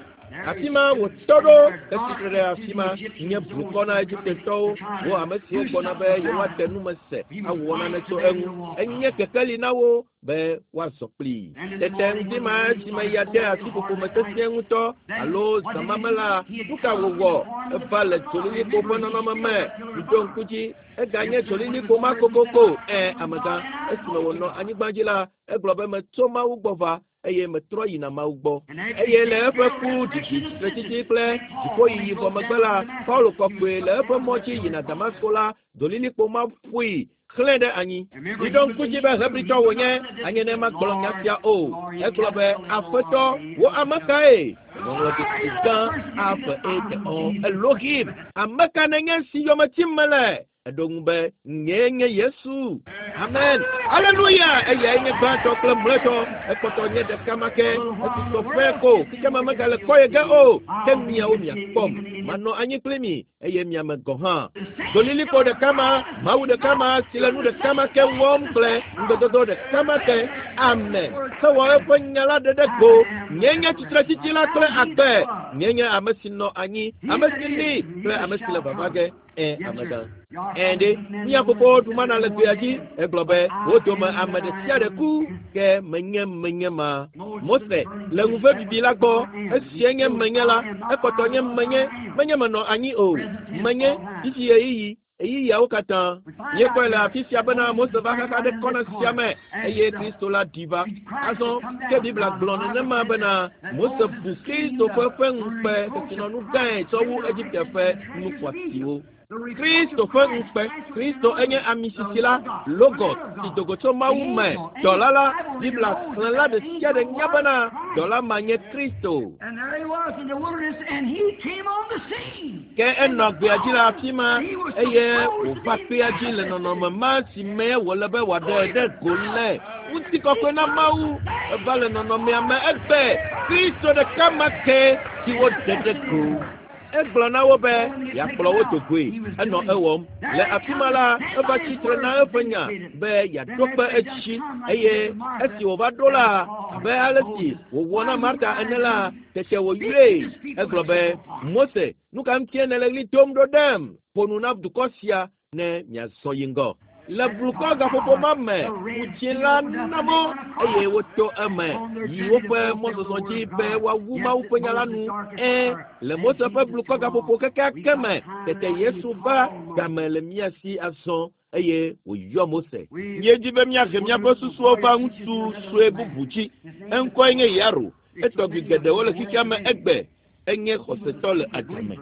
Afi ma wòtɔ ɖo hetsitre ɖe afi ma nye blukɔ na Egiptetɔwo, wo ame siwo gbɔna be yewoaɖe nume se awɔ nane tso eŋu. Enye kekeli na wo be woazɔ kplii. Tete ŋdi ma esime ya de asi ƒoƒo me sesĩe ŋutɔ alo zã ma me la, nu ka wòwɔ? Eva le dzolilikpo ƒe nɔnɔme me. Miɖo ŋku dzi, eganye dzolilikpo ma kokoko. Ẽ, amegã, esime wònɔ anyigba dzi la, egblɔ be metso Mawu gbɔ va eye metrɔ yina Mawu gbɔ. Eye le eƒe ku, ɖiɖi, tsitretsitsi kple dziƒoyiyi vɔ megbe la, Paulo kɔkɔe le eƒe mɔ dzi yina Damasko la, dzolilikpo ma ƒoe xlẽ ɖe anyi. Miɖo ŋku dzi be Hebritɔ wònye, anye ne magblɔ nya sia o. Egblɔ be, Aƒetɔ, wò ame kae? Ŋɔŋlɔdzesi gã A ƒe E te ɔ, Elohim, ame ka nènye si yome tim mele? Eɖo ŋu be, Nyee nye Yesu. Amen. Aleluya! Eyae nye gbãtɔ kple mlɔetɔ. Ekpɔtɔ nye ɖeka ma ke. Esusɔ ƒe ko xexeame megale kpɔ ye ge o. Ke miawo miakpɔm. Manɔ anyi kpli mi eye miame gɔ̃ hã. Dolilikpo ɖeka ma, Mawu ɖeka ma si le nu ɖeka ma ke wɔm kple ŋugbedodo ɖeka ma ke. Amen. Hewɔ eƒe nya la ɖeɖe go. Nyee nye tsitretsitsi la kple agbe. Nyee nye ame si nɔ anyi, ame si li kple ame si le vava ge. Ẽ, amegã. Ẽ ɖe, mía fofowo ɖu mana le gbea dzi. Egblɔ be, wo dome ame ɖe sia ɖe ku, ke menye menye ma. Mose le ŋuve bibi la gbɔ. Esia nye menye la, ekpɔtɔ nye menye, menye menɔ anyi o. Menye, fifi ɣeyiɣi, ɣeyiɣiawo katã. Míekpɔe le afi sia bena Mose va xaxa ɖe kɔna sia me eye Kristo la ɖi va. Azɔ, ke Biblia gblɔ nenema bena Mose bu Kristo ƒe ƒe ŋukpe kesinɔnu gãe tsɔ wu Egipte ƒe nu xɔasiwo. Kristo ƒe ŋukpe. Kristo enye ami sisi la, Logos, si do go tso Mawu me. Dɔla la, Biblia xlẽla ɖe sia ɖe nya bena dɔla ma nye Kristo. And there he was in the wilderness, and he came on the scene. Ke enɔ gbea dzi le afi ma eye wòva kpea dzi le nɔnɔme ma si me wòle be wòaɖe ɖe go le. Ŋutikɔkɔe na Mawu eva le nɔnɔmea me egbe Kristo ɖeka ma ke si woɖe ɖe go. Egblɔ na wo be yeakplɔ wo do goe. Enɔ ewɔm. Le afi ma la, eva tsitre na eƒe nya be yeaɖo kpe edzi eye esi wòva ɖo la, abe ale si wòwɔ na Marta ene la, tete wòyɔe. Egblɔ be, Mose, nu ka ŋutie nèle ɣli dom ɖo ɖem? Ƒo nu na dukɔ sia ne miazɔ yi ŋgɔ. Le blukɔ gaƒoƒo ma me, ƒu la na mɔ eye woto eme yi woƒe mɔzɔzɔ dzi be woawu Mawu ƒe nya la nu. Ẽ, le Mose ƒe blukɔ gaƒoƒo kekeake me, tete Yesu va game le mía si azɔ eye wòyɔ Mose. Míedi be míahe míaƒe susuwo va ŋutsu sue bubu dzi. Eŋkɔe nye Yaro. Etɔgbi geɖewo le xexea me egbe. Enye xɔsetɔ le adzame.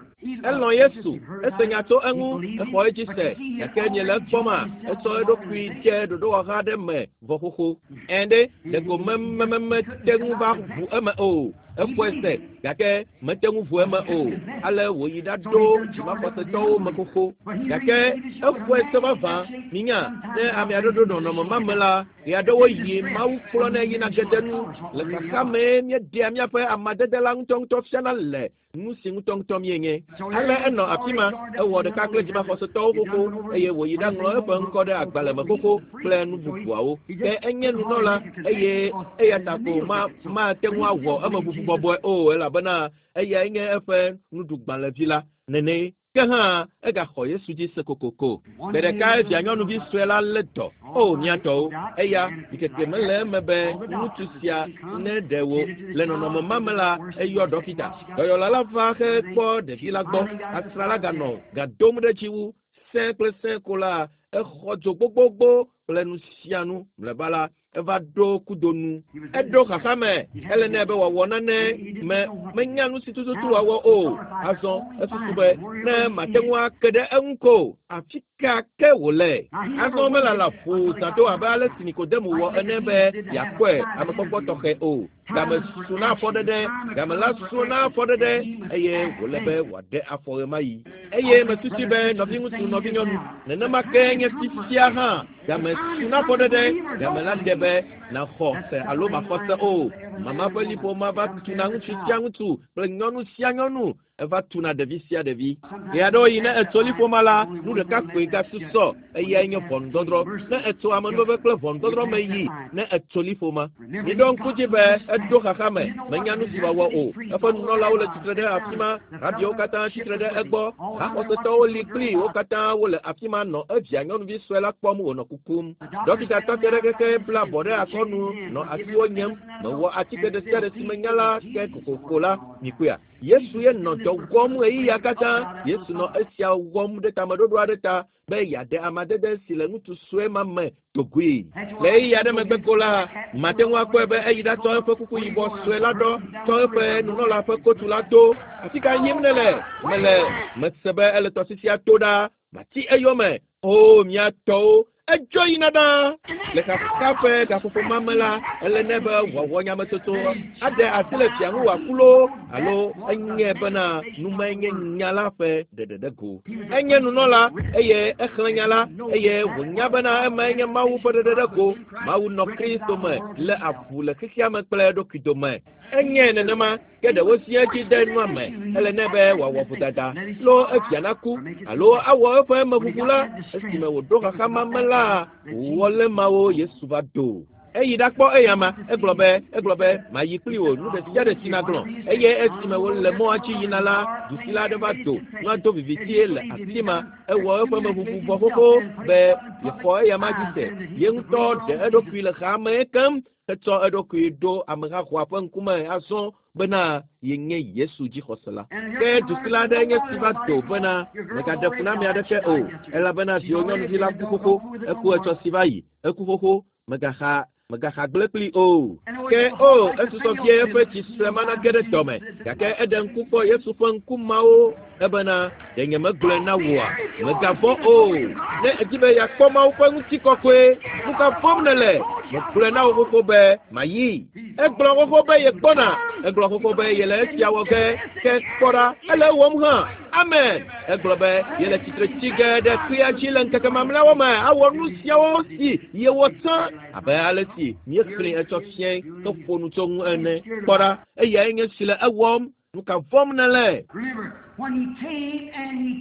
Elɔ̃ Yesu, ese nya tso eŋu, exɔ edzi se, gake miele ekpɔma, etsɔ eɖokui dze ɖoɖowɔha aɖe me vɔ xoxo. Ẽ ɖe, ɖeko mememete ŋu va ʋu eme o. Exɔe se, gake mete ŋu ʋu eme o. Ale wòyi ɖaɖo dzimaxɔsetɔwo me xoxo. Gake exɔe se vavã. Minya, ne ame aɖe ɖo nɔnɔme ma me la, ɣe aɖewo yi Mawu kplɔnɛ yina gede nu. Le xaxa mee míeɖea míaƒe amadede la ŋutɔŋutɔ fiana le nu si ŋutɔŋutɔ míenye. Ale enɔ afi ma, ewɔ ɖeka kple dzimaxɔsetɔwo xoxo eye wòyi ɖaŋlɔ eƒe ŋkɔ ɖe agbalẽ me xoxo kple nu bubuawo. Ke enye nunɔla eye eya ta ko ma mate ŋu awɔ emeʋuʋu bɔbɔe o elabena eyae nye eƒe nuɖugbalẽvi la nene. Ke hã egaxɔ Yesu dzi se kokoko. Gbe ɖeka via nyɔnuvi sue la lé dɔ. O mía tɔwo, eya ɖikeke mele eme be ŋutsu sia ne ɖe wò le nɔnɔme ma me la, eyɔ ɖɔkita. Dɔyɔla la va hekpɔ ɖevi la gbɔ. Asrã la ganɔ ga dom ɖe edzi wu. Sẽ kple sẽ ko la, exɔ dzo gbogbogbo kple nu sia nu. Mlɔeba la, eva ɖo kudo nu. Eɖo xaxa me. Ele nɛ be wòawɔ nane me menya nu si tututu wòawɔ o. Azɔ esusu be ne mate ŋu ake ɖe eŋu ko afi ka ke wòle. Azɔ melala ƒo zã do abe ale si Nikodemo wɔ ene be yeakpɔe amekpɔkpɔ tɔxɛ o. Game su na afɔɖeɖe, game la su na afɔɖeɖe eye wòle be wòaɖe afɔ ɣemaɣi. Eye mesusu be nɔviŋutsu, nɔvinyɔnu, nenema ke nye fifia hã. Game su na afɔɖeɖe, game la de be nàxɔ se alo maxɔ se o. Mama ƒe liƒo ma va tuna ŋutsu sia ŋutsu kple nyɔnu sia nyɔnu. Eva tuna ɖevi sia ɖevi. Ɣe aɖewo yi ne etso liƒo ma la, nu ɖeka koe gasusɔ, eyae nye ʋɔnudɔdrɔ̃. Ne etso amenuveve kple ʋɔnudɔdrɔ̃ me yi ne etso liƒo ma. Miɖo ŋku dzi be eɖo xaxa me, menya nu si wòawɔ o. Eƒe nunɔlawo le tsitre ɖe afi ma, rabiwo katã tsitre ɖe egbɔ, haxɔsetɔwo li kpli wo katã wole afi ma nɔ evia nyɔnuvi sue la kpɔm wònɔ kukum. Ɖɔkita tɔ te ɖe keke bla abɔ ɖe akɔnu nɔ asiwo nyem. Mewɔ atike ɖe sia ɖe si menya la ke kokoko la, mikpɔea. Yesu ye nɔ dɔ wɔm ɣeyiɣia katã. Yesu nɔ esia wɔm ɖe tameɖoɖo aɖe ta be yeaɖe amadede si le ŋutsu sue ma me dogoe. Le ɣeyiɣi aɖe megbe ko la, mate ŋu akpɔe be eyi ɖatsɔ eƒe kuku yibɔ sue la ɖɔ, tsɔ eƒe nunɔla ƒe kotu la do. Afi ka yim nele? Mele mese be ele tɔsisia to ɖa. Mati eyome. O mía tɔwo, edzo yina ɖaa. Le xaxa ƒe gaƒoƒo ma me la, ele nɛ be wòawɔ nyametsotso aɖe asi le fia ŋu wòaku loo alo enye bena numae nye nya la ƒe ɖeɖeɖe go. Enye nunɔla eye exlẽ nya la eye wònya bena emae nye Mawu ƒe ɖeɖeɖe go. Mawu nɔ Kristo me lé avu le xexea me kple eɖokui dome. Enye nenema ke ɖewo si edzi de nua me. Ele nɛ be wòawɔ vodada lo evia naku alo awɔ eƒe emeʋuʋu la. Esime wòɖo xaxa ma me la, wòwɔ le mawo Yesu va do. Eyi ɖakpɔ eyama, egblɔ be mayi kpli wò nu ɖe sia ɖe si nagblɔ. Eye esime wòle mɔa dzi yina la, dusila aɖe va do, nua do vivitie le afi ma. Ewɔ eƒe meʋuʋu vɔ xoxo be yexɔ eyama dzi se. Ye ŋutɔ ɖe eɖokui le xaa me keŋ hetsɔ eɖokui ɖo amehaxɔa ƒe ŋkume azɔ bena yenye Yesu dzixɔsela. Ke dusila aɖe nye si va do bena megaɖe fu na ame aɖeke o, elabena viwò nyɔnuvi la ku xoxo, eku etsɔ si va yi, eku xoxo, megaxa gblẽ kpli o. Ke o, esusɔ vie eƒe tsi sue ma nage ɖe dɔme, gake eɖe ŋku kpɔ Yesu ƒe ŋku mawo ebena ɖe nye megblɔe na wòa, megavɔ̃ o. Ne èdi be yeakpɔ Mawu ƒe ŋutikɔkɔe, nu ka vɔ̃m nèle? Megblɔe na wò xoxo be mayi. Egblɔ xoxo be yegbɔna. Egblɔ xoxo be yele esia wɔ ge. Ke kpɔ ɖa, ele ewɔm hã. Amen. Egblɔ be yele tsitre tsi ge ɖe kpea dzi le ŋkeke mamlɛawo me awɔ nu siawo si yewɔ tsã abe ale si míexlẽ etsɔ fiae heƒo nu tso ŋu ene. Kpɔ ɖa, eyae nye si le ewɔm. Nu ka vɔ̃m nèle?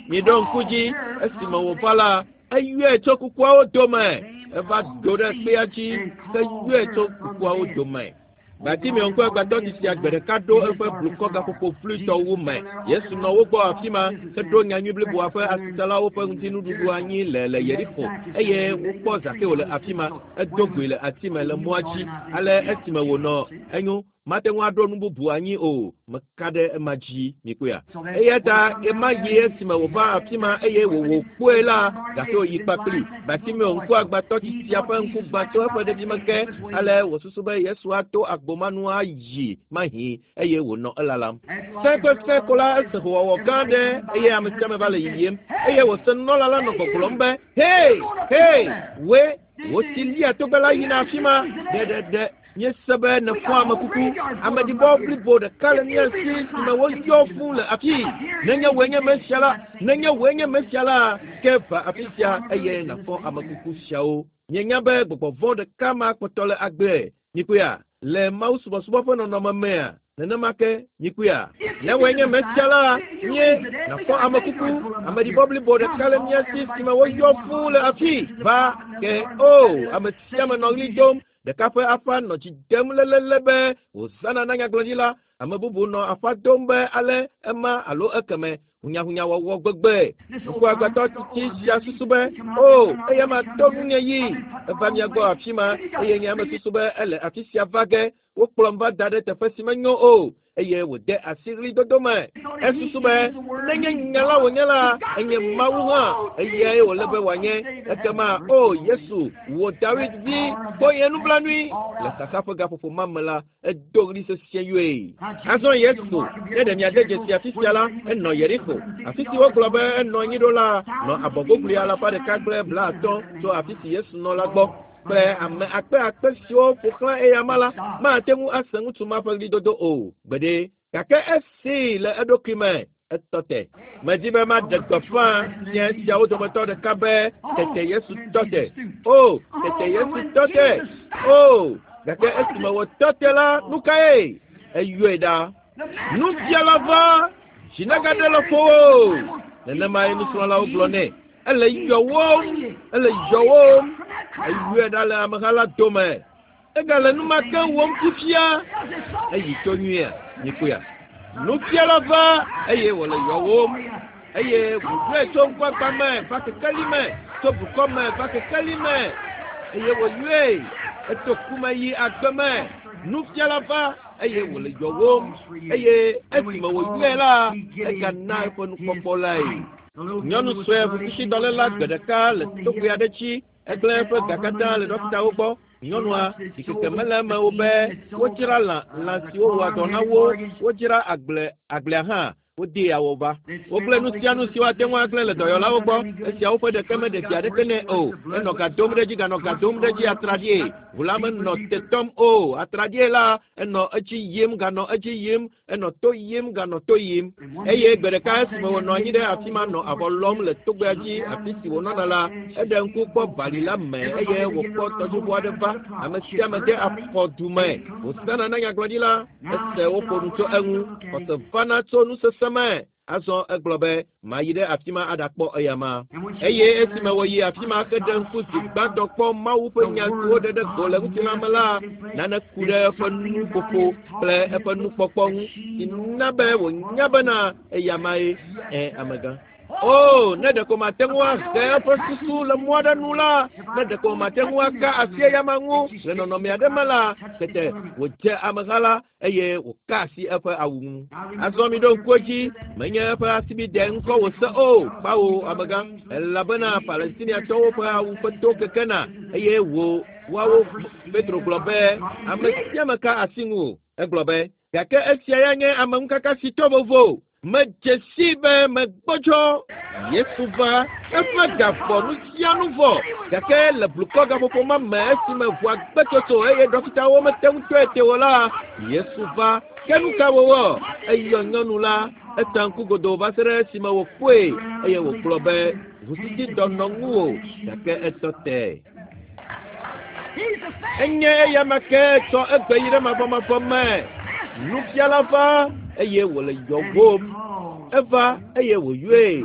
Miɖo ŋku dzi esime wòva la, eyɔe tso kukuawo dome. Eva do ɖe kpea dzi heyɔe tso kukuawo dome. Bartimeo ŋkɔ agbatɔ sisia gbe ɖeka ɖo eƒe blukɔ gaƒoƒo fluitɔwo me. Yesu nɔ wo gbɔ afi ma heɖo nyanyui bliboa ƒe asitsalawo ƒe ŋutinuɖuɖu anyi le Yeriko eye wokpɔ Zakeo le afi ma. Edo goe le ati me le mɔa dzi. Ale esime wònɔ enyo. Mate ŋu aɖo nu bubu anyi o. Meka ɖe ema dzi, mikpɔea. Eya ta ɣemaɣi esime wòva afi ma eye wòwò kpɔe la, gake wòyi kpakpli. Bartimeo ŋkuagbãtɔ tsitsia ƒe ŋku gbã tso eƒe ɖevime ke. Ale wòsusu be Yesu ato agbo ma nu ayi mahi eye wònɔ elalam. Sẽkpesẽ ko la ese howɔwɔ gã aɖe eye ame sia ame va le yiyim eye wòse nunɔla la nɔ gbɔgblɔm be, Hei! Hei! Wòe! Wò si lia togbɛ la yina afi ma ɖeɖeɖe. Míese be nèfɔ ame kuku. Ameɖibɔ blibo ɖeka le mía si si me woyɔ fũ le afii. Nenye wòe nye Mesia la, nenye wòe nye Mesia la, ke va afi sia eye nàfɔ ame kuku siawo. Mienya be gbɔgbɔ vɔ̃ ɖeka ma kpɔtɔ le agbe. Mikpɔea? Le mawusubɔsubɔ ƒe nɔnɔme mea, nenema ke, mikpɔea? Ne wòe nye Mesia la, mie, nàfɔ ame kuku, ameɖibɔ blibo ɖeka le mía si si me woyɔ fũ le afii. Va ke, o, ame sia ame nɔ ɣli dom. Ɖeka ƒe aƒea nɔ dzi dem lélele be wòzãna na nyagblɔɖila. Ame bubu nɔ aƒa dom be ale ema alo ekeme. Hunyahunyawɔwɔ gbegbe. Ŋkuagbãtɔ tsitsi sia susu be, O, eyama to ŋunye yi. Eva mía gbɔ afi ma eye nye ame susu be ele afi sia va ge. Wokplɔm va da ɖe teƒe si menyo o eye wòde asi ɣlidodo me. Esusu be, Nenye nya la wònye la, enye Mawu hã. Eyae wòle be wòanye. Ekema, O Yesu, wò Dawid vi, kpɔ nye nublanui. Le xaxa ƒe gaƒoƒo ma me la, edo ɣli sesĩe yɔe. Azɔ Yesu, ne ɖe miade dzesi afi sia la, enɔ Yerixo, afi si wogblɔ be enɔ anyi ɖo la, nɔ abɔgogli alafa ɖeka kple blaatɔ̃ tso afi si Yesu nɔ la gbɔ. Kple ame akpe akpe siwo ƒo xlã eyama la, mate ŋu ase ŋutsu ma ƒe ɣlidodo o gbeɖe. Gake esee le eɖokui me, etɔ te. Medi be maɖe gbeƒã nya siawo dometɔ ɖeka be tete Yesu tɔ te. O, tete Yesu tɔ te. O, gake esime wòtɔ te la, nu kae? Eyɔe ɖa. Nufiala va, dzi nagaɖe le ƒowò o. Nenemae nusrɔ̃lawo gblɔ nɛ. Ele yɔwòm, ele yɔwòm. Eyɔe ɖa le ameha la dome. Egale nu ma ke wɔm fifia. Eyi to nyuia, mikpɔea. Nufiala va eye wòle yɔwòm eye wòyɔe tso ŋkuagba me va kekeli me, tso blukɔ me va kekeli me eye wòyɔe eto ku me yi agbe me. Nufiala va eye wòle yɔwòm eye esime wòyɔe la, egana eƒe nukpɔkpɔ lae. Nyɔnu sue ʋukusidɔléla gbe ɖeka le togbɛ aɖe dzi Egblẽ eƒe ga katã le ɖɔkitawo gbɔ. Nyɔnua, ɖikeke mele eme o be wodzra lã, lã siwo wɔa dɔ na wo, wodzra agble, agblea hã, wodee awɔba. Wogblẽ nu sia nu si woate ŋu agblẽ le dɔyɔlawo gbɔ. Esiawo ƒe ɖeke meɖe vi aɖeke nɛ o. Enɔ ga dom ɖe edzi ganɔ ga dom ɖe edzi atraɖii. Ʋu la menɔ te tɔm o. Atraɖii la, enɔ edzi yim ganɔ edzi yim. Enɔ to yim ganɔ to yim. Eye gbe ɖeka esime wònɔ anyi ɖe afi ma nɔ avɔ lɔm le togbea dzi, afi si wònɔna la, eɖe ŋku kpɔ bali la me eye wòkpɔ tɔdziʋu aɖe va. Ame sia ame de afɔ du me. Hosana na nyagblɔɖila. Ese woƒo nu tso eŋu. Xɔse vana tso nusese me. Azɔ egblɔ be, Mayi ɖe afi ma aɖakpɔ eyama. Eye esime wòyi afi ma heɖe ŋku zi gbãtɔ kpɔ Mawu ƒe nya si woɖe ɖe go le ŋutilã me la, nane ku ɖe eƒe nuƒoƒo kple eƒe nukpɔkpɔ ŋu si na be wònya bena eyamae. Ẽ, amegã. O, ne ɖeko mate ŋu ahe eƒe susu le mɔ aɖe nu la, ne ɖeko mate ŋu aka asi eyama ŋu le nɔnɔme aɖe me la, tete wòdze ameha la eye wòka asi eƒe awu ŋu. Azɔ miɖo ŋku edzi, menye eƒe asibidɛ ŋkɔ wòse o, kpawo amegã, elabena Palestiniatɔwo ƒe awu ƒe to kekena, eye wò woawo Petro gblɔ be, ame sia ame ka asi ŋu o. Egblɔ be, gake esia ya nye ameŋukaka si to vovo. Medze sii be megbɔdzɔ. Yesu va, eƒe ga vɔ, nu sia nu vɔ. Gake le blukɔ gaƒoƒo ma me esime ʋua gbe tsotso eye ɖɔkitawo mete ŋu tɔe te o la, Yesu va. Ke nu ka wòwɔ? Eyɔ nyɔnu la, eta ŋku godoo va se ɖe esime wòkpɔe eye wògblɔ be, Ʋusísidɔ nɔ ŋuwò, gake etɔ te. Enye eyama ke tsɔ egbe yi ɖe mavɔmavɔ me. Nufiala va eye wòle yɔwòm. Eva eye wòyɔe.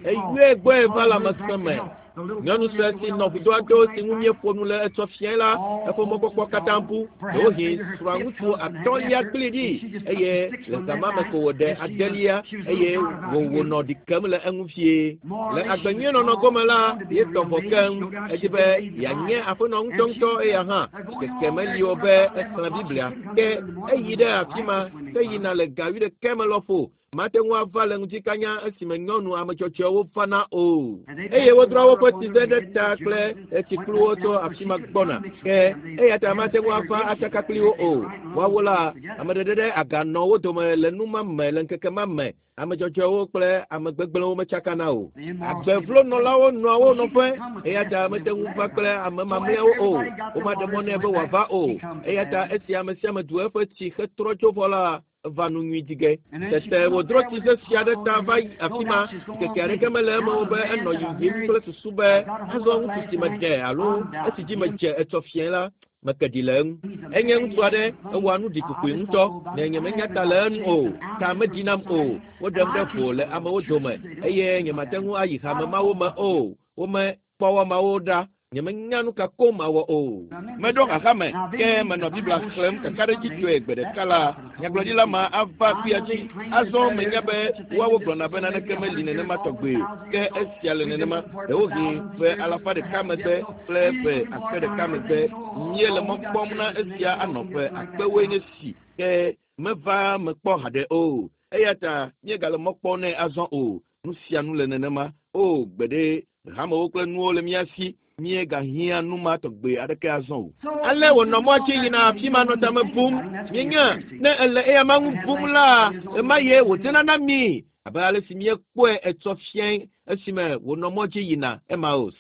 Eyɔe gbɔe va lãmesẽ me. Nyɔnu sue si nɔ vudoa do si ŋu míeƒo nu le etsɔ fiae la, eƒe mɔkpɔkpɔ katã bu. Ɖewohĩ srɔ̃aŋutsu atɔ̃lia gblẽe ɖi eye le zã ma me ko wòɖe adelia eye wònɔ ɖi kem le eŋu vie. Le agbe nyui nɔnɔ gome la, yetɔ vɔ keŋ. Edi be yeanye aƒenɔ ŋutɔŋutɔ eya hã. Keke meli o be exlẽ Biblia. Ke eyi ɖe afi ma heyina le ga wuiɖekɛ me lɔƒo. Mate ŋu ava le ŋutikanya esime nyɔnu ametsɔtsɔewo fana o. Eye wodrɔ̃ woƒe tsize ɖe ta kple tsikpluwo tso afi ma gbɔna. Ke eya ta mate ŋu ava atsaka kpli wo o. Woawo la, ame ɖeɖe ɖe aga nɔ wo dome le nu ma me le ŋkeke ma me. Ame dzɔdzɔewo kple ame gbegblẽwo metsakana o. Agbevlonɔlawo nɔa wo nɔƒe, eya ta mete ŋu va kple ame mamlɛawo o. Womaɖe mɔ nɛ be wòava o. Eya ta esi ame sia ame du eƒe tsi hetrɔ tso vɔ la, eva nu nyui di ge. Tete wòdrɔ tsi sesẽ aɖe ta va yi afi ma. Ŋkeke aɖeke mele eme o be enɔ yiyim kple susu be azɔ ŋutsu si meɖe alo esi dzi medze etsɔ fiẽ la, meke ɖi le eŋu. Enye ŋutsu aɖe, ewɔa nu ɖikokoe ŋutɔ. Ne nyemenya ta le enu o, ta meɖi nam o. Woɖem ɖe vo le amewo dome eye nyemate ŋu ayi hame mawo me o. Womekpɔ woamawo ɖa. Nyemenya nu ka koŋ mawɔ o. Meɖo xaxa me, ke menɔ Biblia xlẽm kakaɖedzitɔe gbe ɖeka la, nyagblɔɖila ma ava kuya dzi. Azɔ menya be woawo gblɔna be naneke meli nenema tɔgbe o, ke esia le nenema. Ɖewohĩ ƒe alafa ɖeka megbe kple ƒe akpe ɖeka megbe, míele mɔ kpɔm na esia anɔ ƒe akpewoe nye si, ke meva mekpɔ haɖe o. Eya ta míegale mɔ kpɔm nɛ azɔ o. Nu sia nu le nenema. O, gbeɖe, hamewo kple nuwo le mía si. Míegahiã nu ma tɔgbe aɖeke azɔ o. Ale wònɔ mɔa dzi yina afi ma nɔ tame bum. Míenya, ne ele eya ma ŋu bum la, ɣemaɣie wòdzena na mí abe ale si míekpɔe etsɔ fiae esime wònɔ mɔ dzi yina Emaus.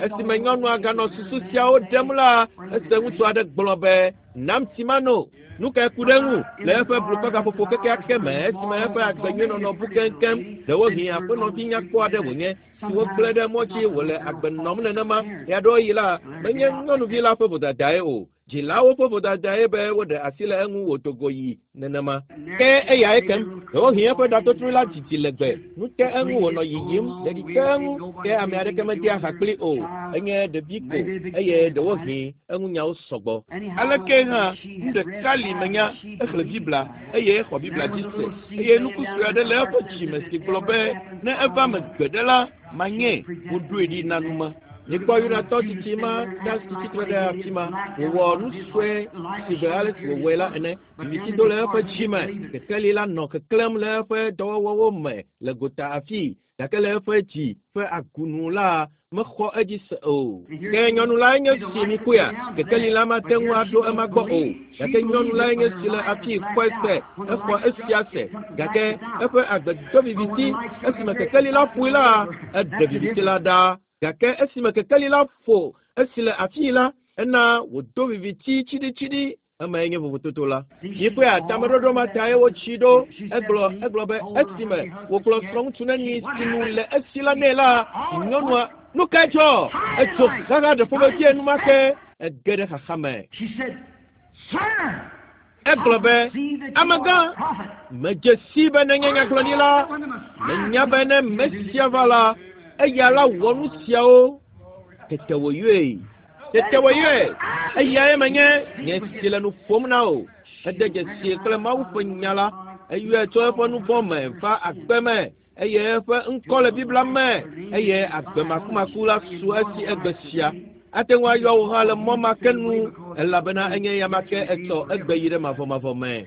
Esime nyɔnua ganɔ susu siawo ɖem la, ese ŋutsu aɖe gblɔ be, Nam tsi mano. Nu kae ku ɖe eŋu le eƒe blukɔgaƒoƒo kekeake me esime eƒe agbe nyui nɔnɔ bu keŋkeŋ? Ɖewohĩ aƒenɔvi nyakpɔ aɖe wònye si wogblẽ ɖe mɔ dzi wòle agbe nɔm nenema. Ɣeaɖewoɣi la, menye nyɔnuvi la ƒe vodadae o. Dzilawo ƒe vodadae be woɖe asi le eŋu wòdo go yi nenema. Ke eyae kem. Ɖewohĩ eƒe ɖatotro la didi legbe. Nu te eŋu wònɔ yiyim, ɖeɖi te eŋu, ke ame aɖeke medea ha kpli o. Enye ɖevi ko eye ɖewohĩ eŋunyawo sɔgbɔ. Aleke hã, nu ɖeka li menya, exlẽ Biblia eye exɔ Biblia dzi se, eye nuku sue aɖe le eƒe dzi me si gblɔ be, Ne eva eme gbeɖe la, manyɛ. Woɖoe ɖi na nu ma. Mikpɔ Yudatɔ tsitsi ma ɖa si tsitre ɖe afi ma. Wòwɔ nu sue si be ale si wòwɔe la ene. Viviti do le eƒe dzi me. Kekeli la nɔ keklẽm le eƒe dɔwɔwɔwo me le gota afii, gake le eƒe dzi ƒe agunu la, mexɔ edzi se o. Ke nyɔnu lae nye si mikpɔea? Kekeli la mate ŋu aɖo ema gbɔ o. Gake nyɔnu lae nye si le afii xɔe se, exɔ esia se. Gake eƒe agbe do viviti. Esime kekeli la ƒoe la, eɖe viviti la ɖa. Gake esime kekeli la ƒo esi le afii la, ena wòdo viviti tsiɖitsiɖi. Emae nye vovototo la. Mikpɔea, tameɖoɖo ma tae wotsi ɖo. Egblɔ, egblɔ be esime wògblɔ srɔ̃ŋutsu neni si nu le esi la nɛ la, nyɔnua, nu kae dzɔ? Etso xaxa ɖe ƒomevie enumake. Ege ɖe xaxa me. Egblɔ be, Amegã, medze sii be nenye nyagblɔɖila. Menya be ne Mesia va la, eya la wɔ nu siawo. Tete wòyɔe. Tete wòyɔe. Eyae menye nye si le nu ƒom na wò. Ede dzesii kple Mawu ƒe nya la. Eyɔe tso eƒe nu vɔ̃ me va agbe me eye eƒe ŋkɔ le Biblia me eye agbe makumaku la su esi egbe sia. Ate ŋu ayɔ wò hã le mɔ ma ke nu elabena enye ya ma ke etsɔ egbe yi ɖe mavɔmavɔ me.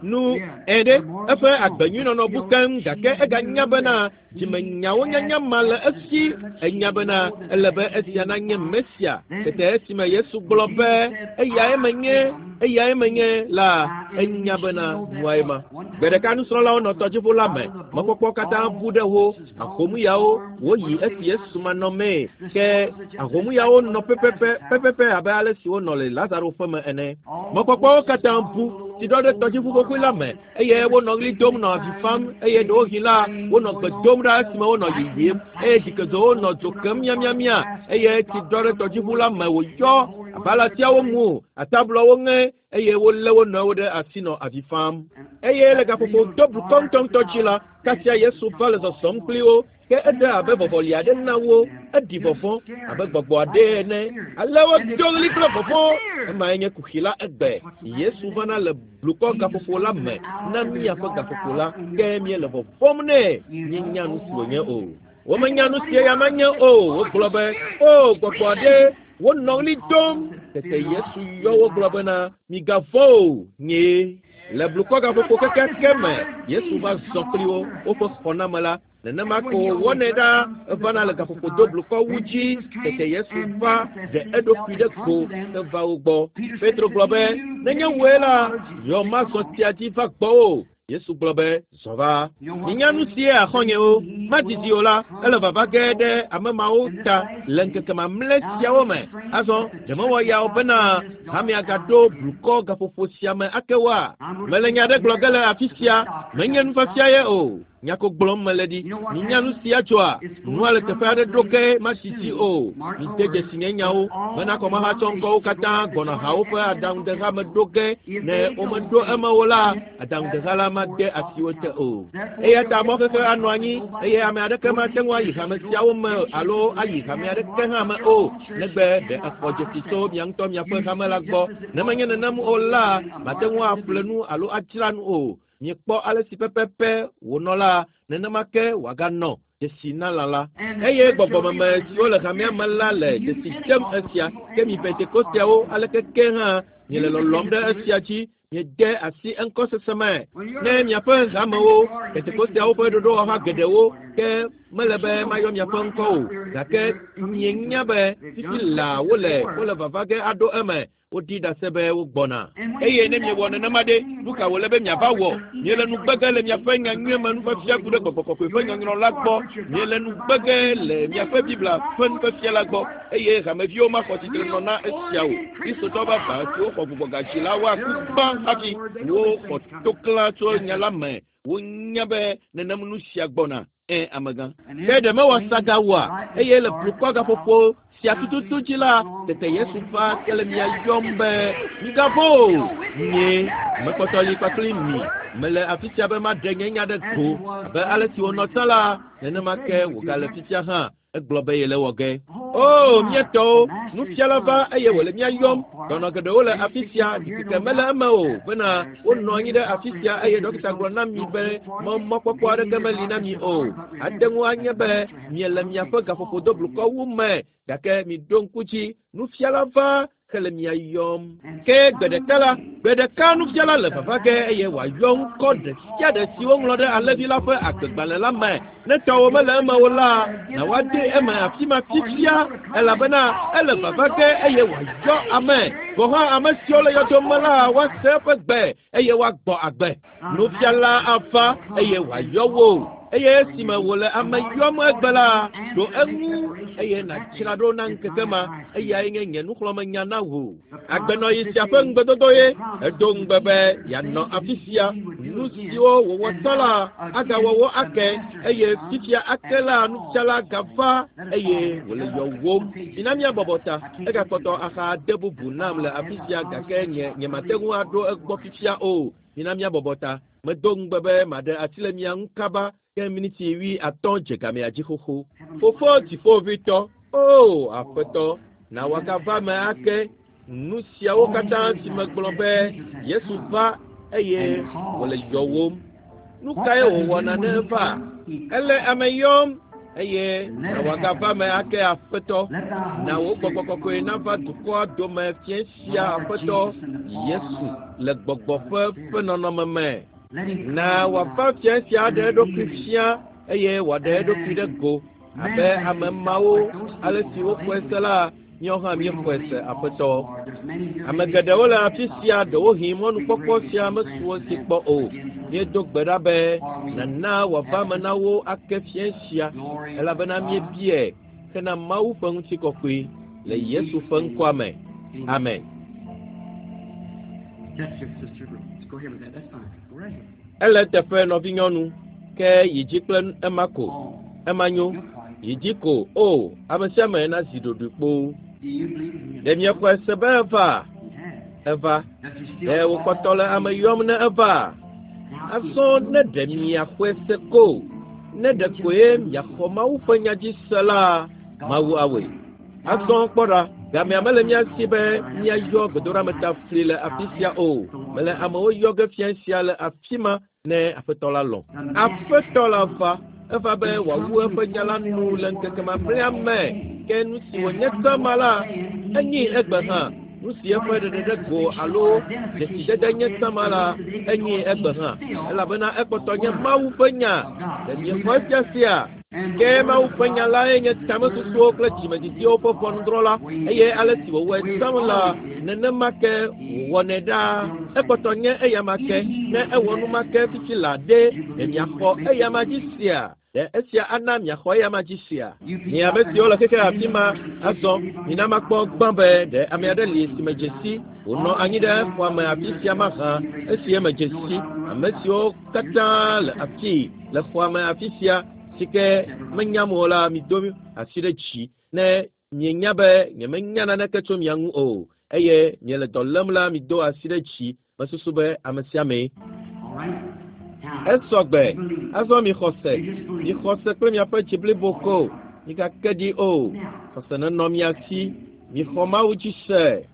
Nu ɛ ɖe eƒe agbe nyui nɔnɔ bu keŋ gake eganya bena dzimenyawo nyanya ma le esi. Enya bena ele be esia nanye Mesia. Tete esime Yesu gblɔ be eyae menye, eyae menye la, enya bena nuae ma. Gbe ɖeka nusrɔ̃lawo nɔ tɔdziʋu la me. Mɔkpɔkpɔ katã bu ɖe wo. Ahomuyawo woyi esi Yesu manɔmee. Ke ahomuyawo nɔ pɛpɛpɛ pɛpɛpɛ abe ale si wonɔ le Lazaro ƒe me ene. Mɔkpɔkpɔwo katã bu. Tsi ɖɔ ɖe tɔdziʋu xoxoe la me eye wonɔ ɣli dom nɔ avi fam eye ɖewohĩ la wonɔ gbe dom ɖa esime wonɔ yiyim eye dzikezowo nɔ dzo kem miamiamia eye tsi ɖɔ ɖe tɔdziʋu la me wòyɔ. Abalatiawo mu, atablɔwo ŋe eye wolé wo nɔewo ɖe asi nɔ avi fam. Eye le gaƒoƒo do blukɔ ŋutɔŋutɔ dzi la, kasia Yesu va le zɔzɔm kpli wo. Ke eɖe abe vɔvɔli aɖe na wo, eɖi vɔvɔ̃ abe gbɔgbɔ aɖe ene. Ale wodo ɣli kple vɔvɔ̃. Emae nye kuxi la egbe. Yesu vana le blukɔ gaƒoƒo la me na míaƒe gaƒoƒo la, ke míele vɔvɔ̃m nɛ. Míenya nu si wònye o. Womenya nu si eya manye o. Wogblɔ be, o gbɔgbɔ aɖe, wonɔ ɣli dom. Tete Yesu yɔ wo gblɔ bena, migavɔ̃ o, nyee. Le blukɔ gaƒoƒo kekeake me, Yesu va zɔ kpli wo, woƒe xɔname la. Nenema ko wòwɔnɛ ɖa, evana le gaƒoƒo do blukɔ wu dzi. Tete Yesu va ɖe eɖokui ɖe go heva wo gbɔ. Petro gblɔ be, nenye wòe la, yɔ mazɔ tsia dzi va gbɔwò. Yesu gblɔ be, zɔ va. Minya nu sie axɔnyewo, madidi o la, ele vava ge ɖe ame mawo ta le ŋkeke mamlɛ siawo me. Azɔ, ɖe mewɔ ya o bena hamea gaɖo blukɔ gaƒoƒo sia me ake woa? Mele nya ɖe gblɔ ge le afi sia, menye nufiafia ye o. Nya ko gblɔm mele ɖi. Minya nu sia tsoa? Nua le teƒe aɖe ɖo ge madidi o. Mide dzesi nye nyawo bena kɔmahatsɔ ŋkɔwo katã gbɔna hawo ƒe aɖaŋudeha me ɖo ge. Ne womeɖo eme o la, aɖaŋudeha la made asiwo te o. Eya ta mɔxexe anɔ anyi eye ame aɖeke mate ŋu ayi hame siawo me alo ayi hame aɖeke hã me o, negbe ɖe exɔ dzesi tso mia ŋutɔ miaƒe hame la gbɔ. Ne menye nenem o la, mate ŋu aƒle nu alo adzra nu o. Miekpɔ ale si pɛpɛpɛ wònɔ la, nenema ke wòaganɔ dzesi na lã la. Eye gbɔgbɔmeme siwo le hamea me la le dzesi dem esia. Ke mi Pentekosteawo aleke ke hã miele lɔlɔm ɖe esia dzi, miede asi eŋkɔ sese me. Ne miaƒe hamewo, Pentekosteawo ƒe ɖoɖowɔha geɖewo, ke mele be mayɔ miaƒe ŋkɔ o, gake mienya be fifi laa wole vava ge aɖo eme. Wodi ɖase be wogbɔna. Eye ne miewɔ nenema ɖe, nu ka wòle be miava wɔ? Miele nu gbe ge le miaƒe nyanyui me nufiafia ku ɖe gbɔgbɔ kɔkɔe ƒe nyɔnyrɔ la gbɔ. Miele nu gbe ge le miaƒe Biblia ƒe nufiafia la gbɔ. Eye hameviwo maxɔ tsitre nɔ na esia o. Kristotɔ vavã siwo xɔ gbugbɔgadzi la woaku gbã hafi woxɔ toklã tso nya la me. Wonya be nenem nu sia gbɔna. Amegã. Ke ɖe mewɔ saga oa? Eye le blukɔ gaƒoƒo sia tututu dzi la, tete Yesu va ke le mia yɔm be, migavɔ̃ o, nyee mekpɔtɔ li kpakple mi. Mele afi sia be maɖe nye nya ɖe go. Abe ale si wònɔ tsã la, nenema ke wògale fifia hã. Egblɔ be yele wɔ ge. O, mía tɔwo, nufiala va eye wòle mía yɔm. Dɔnɔ geɖewo le afi sia, ɖikeke mele eme o bena wonɔ anyi ɖe afi sia eye dɔkita gblɔ na mi be mɔkpɔkpɔ aɖeke meli na mi o. Ate ŋu anye be miele miaƒe gaƒoƒo do blukɔ wu me, gake miɖo ŋku dzi, nufiala va hele mia yɔm. Ke gbe ɖeka la, gbe ɖeka nufiala le vava ge eye wòayɔ ŋkɔ ɖe sia ɖe si woŋlɔ ɖe alẽvi la ƒe agbegbalẽ la me. Ne tɔwò mele eme o la, na woade eme afi ma fifia, elabena ele vava ge eye wòayɔ ame. Gɔ̃ hã ame siwo le yɔdo me la woase eƒe gbe eye woagbɔ agbe. Nufiala ava eye wòayɔ wo. Eye esime wòle ame yɔm egbe la, ɖo eŋu eye nàdzra ɖo na ŋkeke ma. Eyae nye nye nuxlɔ̃amenya na wò. Agbenɔɣi sia ƒe ŋugbedodo ye edo ŋugbe be yeanɔ afi sia. Nu siwo wòwɔ tsã la agawɔ wo ake eye fifia ake la nufiala gava eye wòle yɔwòm. Mina míabɔbɔ ta. Egakpɔtɔ axa de bubu nam le afi sia gake nye mate ŋu aɖo egbɔ fifia o. Mina míabɔbɔ ta. Medo ŋugbe be maɖe asi le mia ŋu kaba ke miniti 50 dze gamea dzi xoxo. Fofo dziƒoʋĩtɔ, o Aƒetɔ, na wòagava me ake. Nu siawo katã si megblɔ be Yesu va eye wòle yɔwòm. Nu kae wòwɔna ne eva? Ele ame yɔm eye na wòagava me ake Aƒetɔ. Na wò gbɔgbɔ kɔkɔe nava dukɔa dome fiẽ sia Aƒetɔ Yesu le gbɔgbɔ ƒe nɔnɔme me. Na wòava fiẽ sia aɖe eɖokui fia eye wòaɖe eɖokui ɖe go abe ame mawo ale si woxɔe se la, míawo hã míexɔe se Aƒetɔ. Ame geɖewo le afi sia ɖewohĩ mɔnukpɔkpɔ sia mesu wo si kpɔ o. Míedo gbe ɖa be nana wòava me na wo ake fiẽ sia elabena míebiae hena Mawu ƒe ŋutikɔkɔe le Yesu ƒe ŋkɔa me. Amen. Ele teƒe nɔvinyɔnu ke yi dzi kple ema ko. Ema nyo. Yi dzi ko o ame sia ame nazi ɖoɖoe kpoo. Ɖe miexɔe se be eva? Eva. Ɖe wòkpɔtɔ le ame yɔm ne eva? Azɔ ne ɖe miaxɔe se ko, ne ɖe koe miaxɔ Mawu ƒe nya dzi se la, Mawu awɔe. Azɔ kpɔ ɖa, gamea mele mía si be míayɔ gbedoɖametafli le afi sia o. Mele amewo yɔ ge fia sia le afi ma ne Aƒetɔ la lɔ̃. Aƒetɔ la va, eva be wòawu eƒe nya la nu le ŋkeke mamlɛa me. Ke nu si wònye tsã la, enyi egbe hã. Nu si eƒe ɖeɖe ɖe go alo dzesidede nye tsã la, enyi egbe hã. Elabena ekpɔtɔ nye Mawu ƒe nya. Ɖe miexɔ esia sia? Ke Mawu ƒe nya lae nye tamesusuwo kple dzimedidiwo ƒe ʋɔnudrɔ̃la, eye ale si wòwɔe tsã la, nenema ke wòwɔnɛ ɖaa. Ekpɔtɔ nye eyama ke. Ne ewɔ nu ma ke fifi la ɖe, ɖe miaxɔ eyama dzi sia? Ɖe esia ana miaxɔ eyama dzi sia? Mi ame siwo le xexe afi ma, azɔ mina makpɔ gbã be ɖe ame aɖe li si medze si wònɔ anyi ɖe xɔa me afi sia mahã esi emedze si ame siwo katã le afii le xɔa me afi sia si ke menyam o la, mido asi ɖe dzi ne mienya be nyemenya naneke tso mia ŋu o eye miele dɔ lém la, mido asi ɖe dzi. Mesusu be ame sia amee. Esɔ gbe. Azɔ mixɔ se. Mixɔ se kple miaƒe dzi blibo ko. Migake ɖi o. Xɔse nenɔ mia si. Mixɔ Mawu dzi se.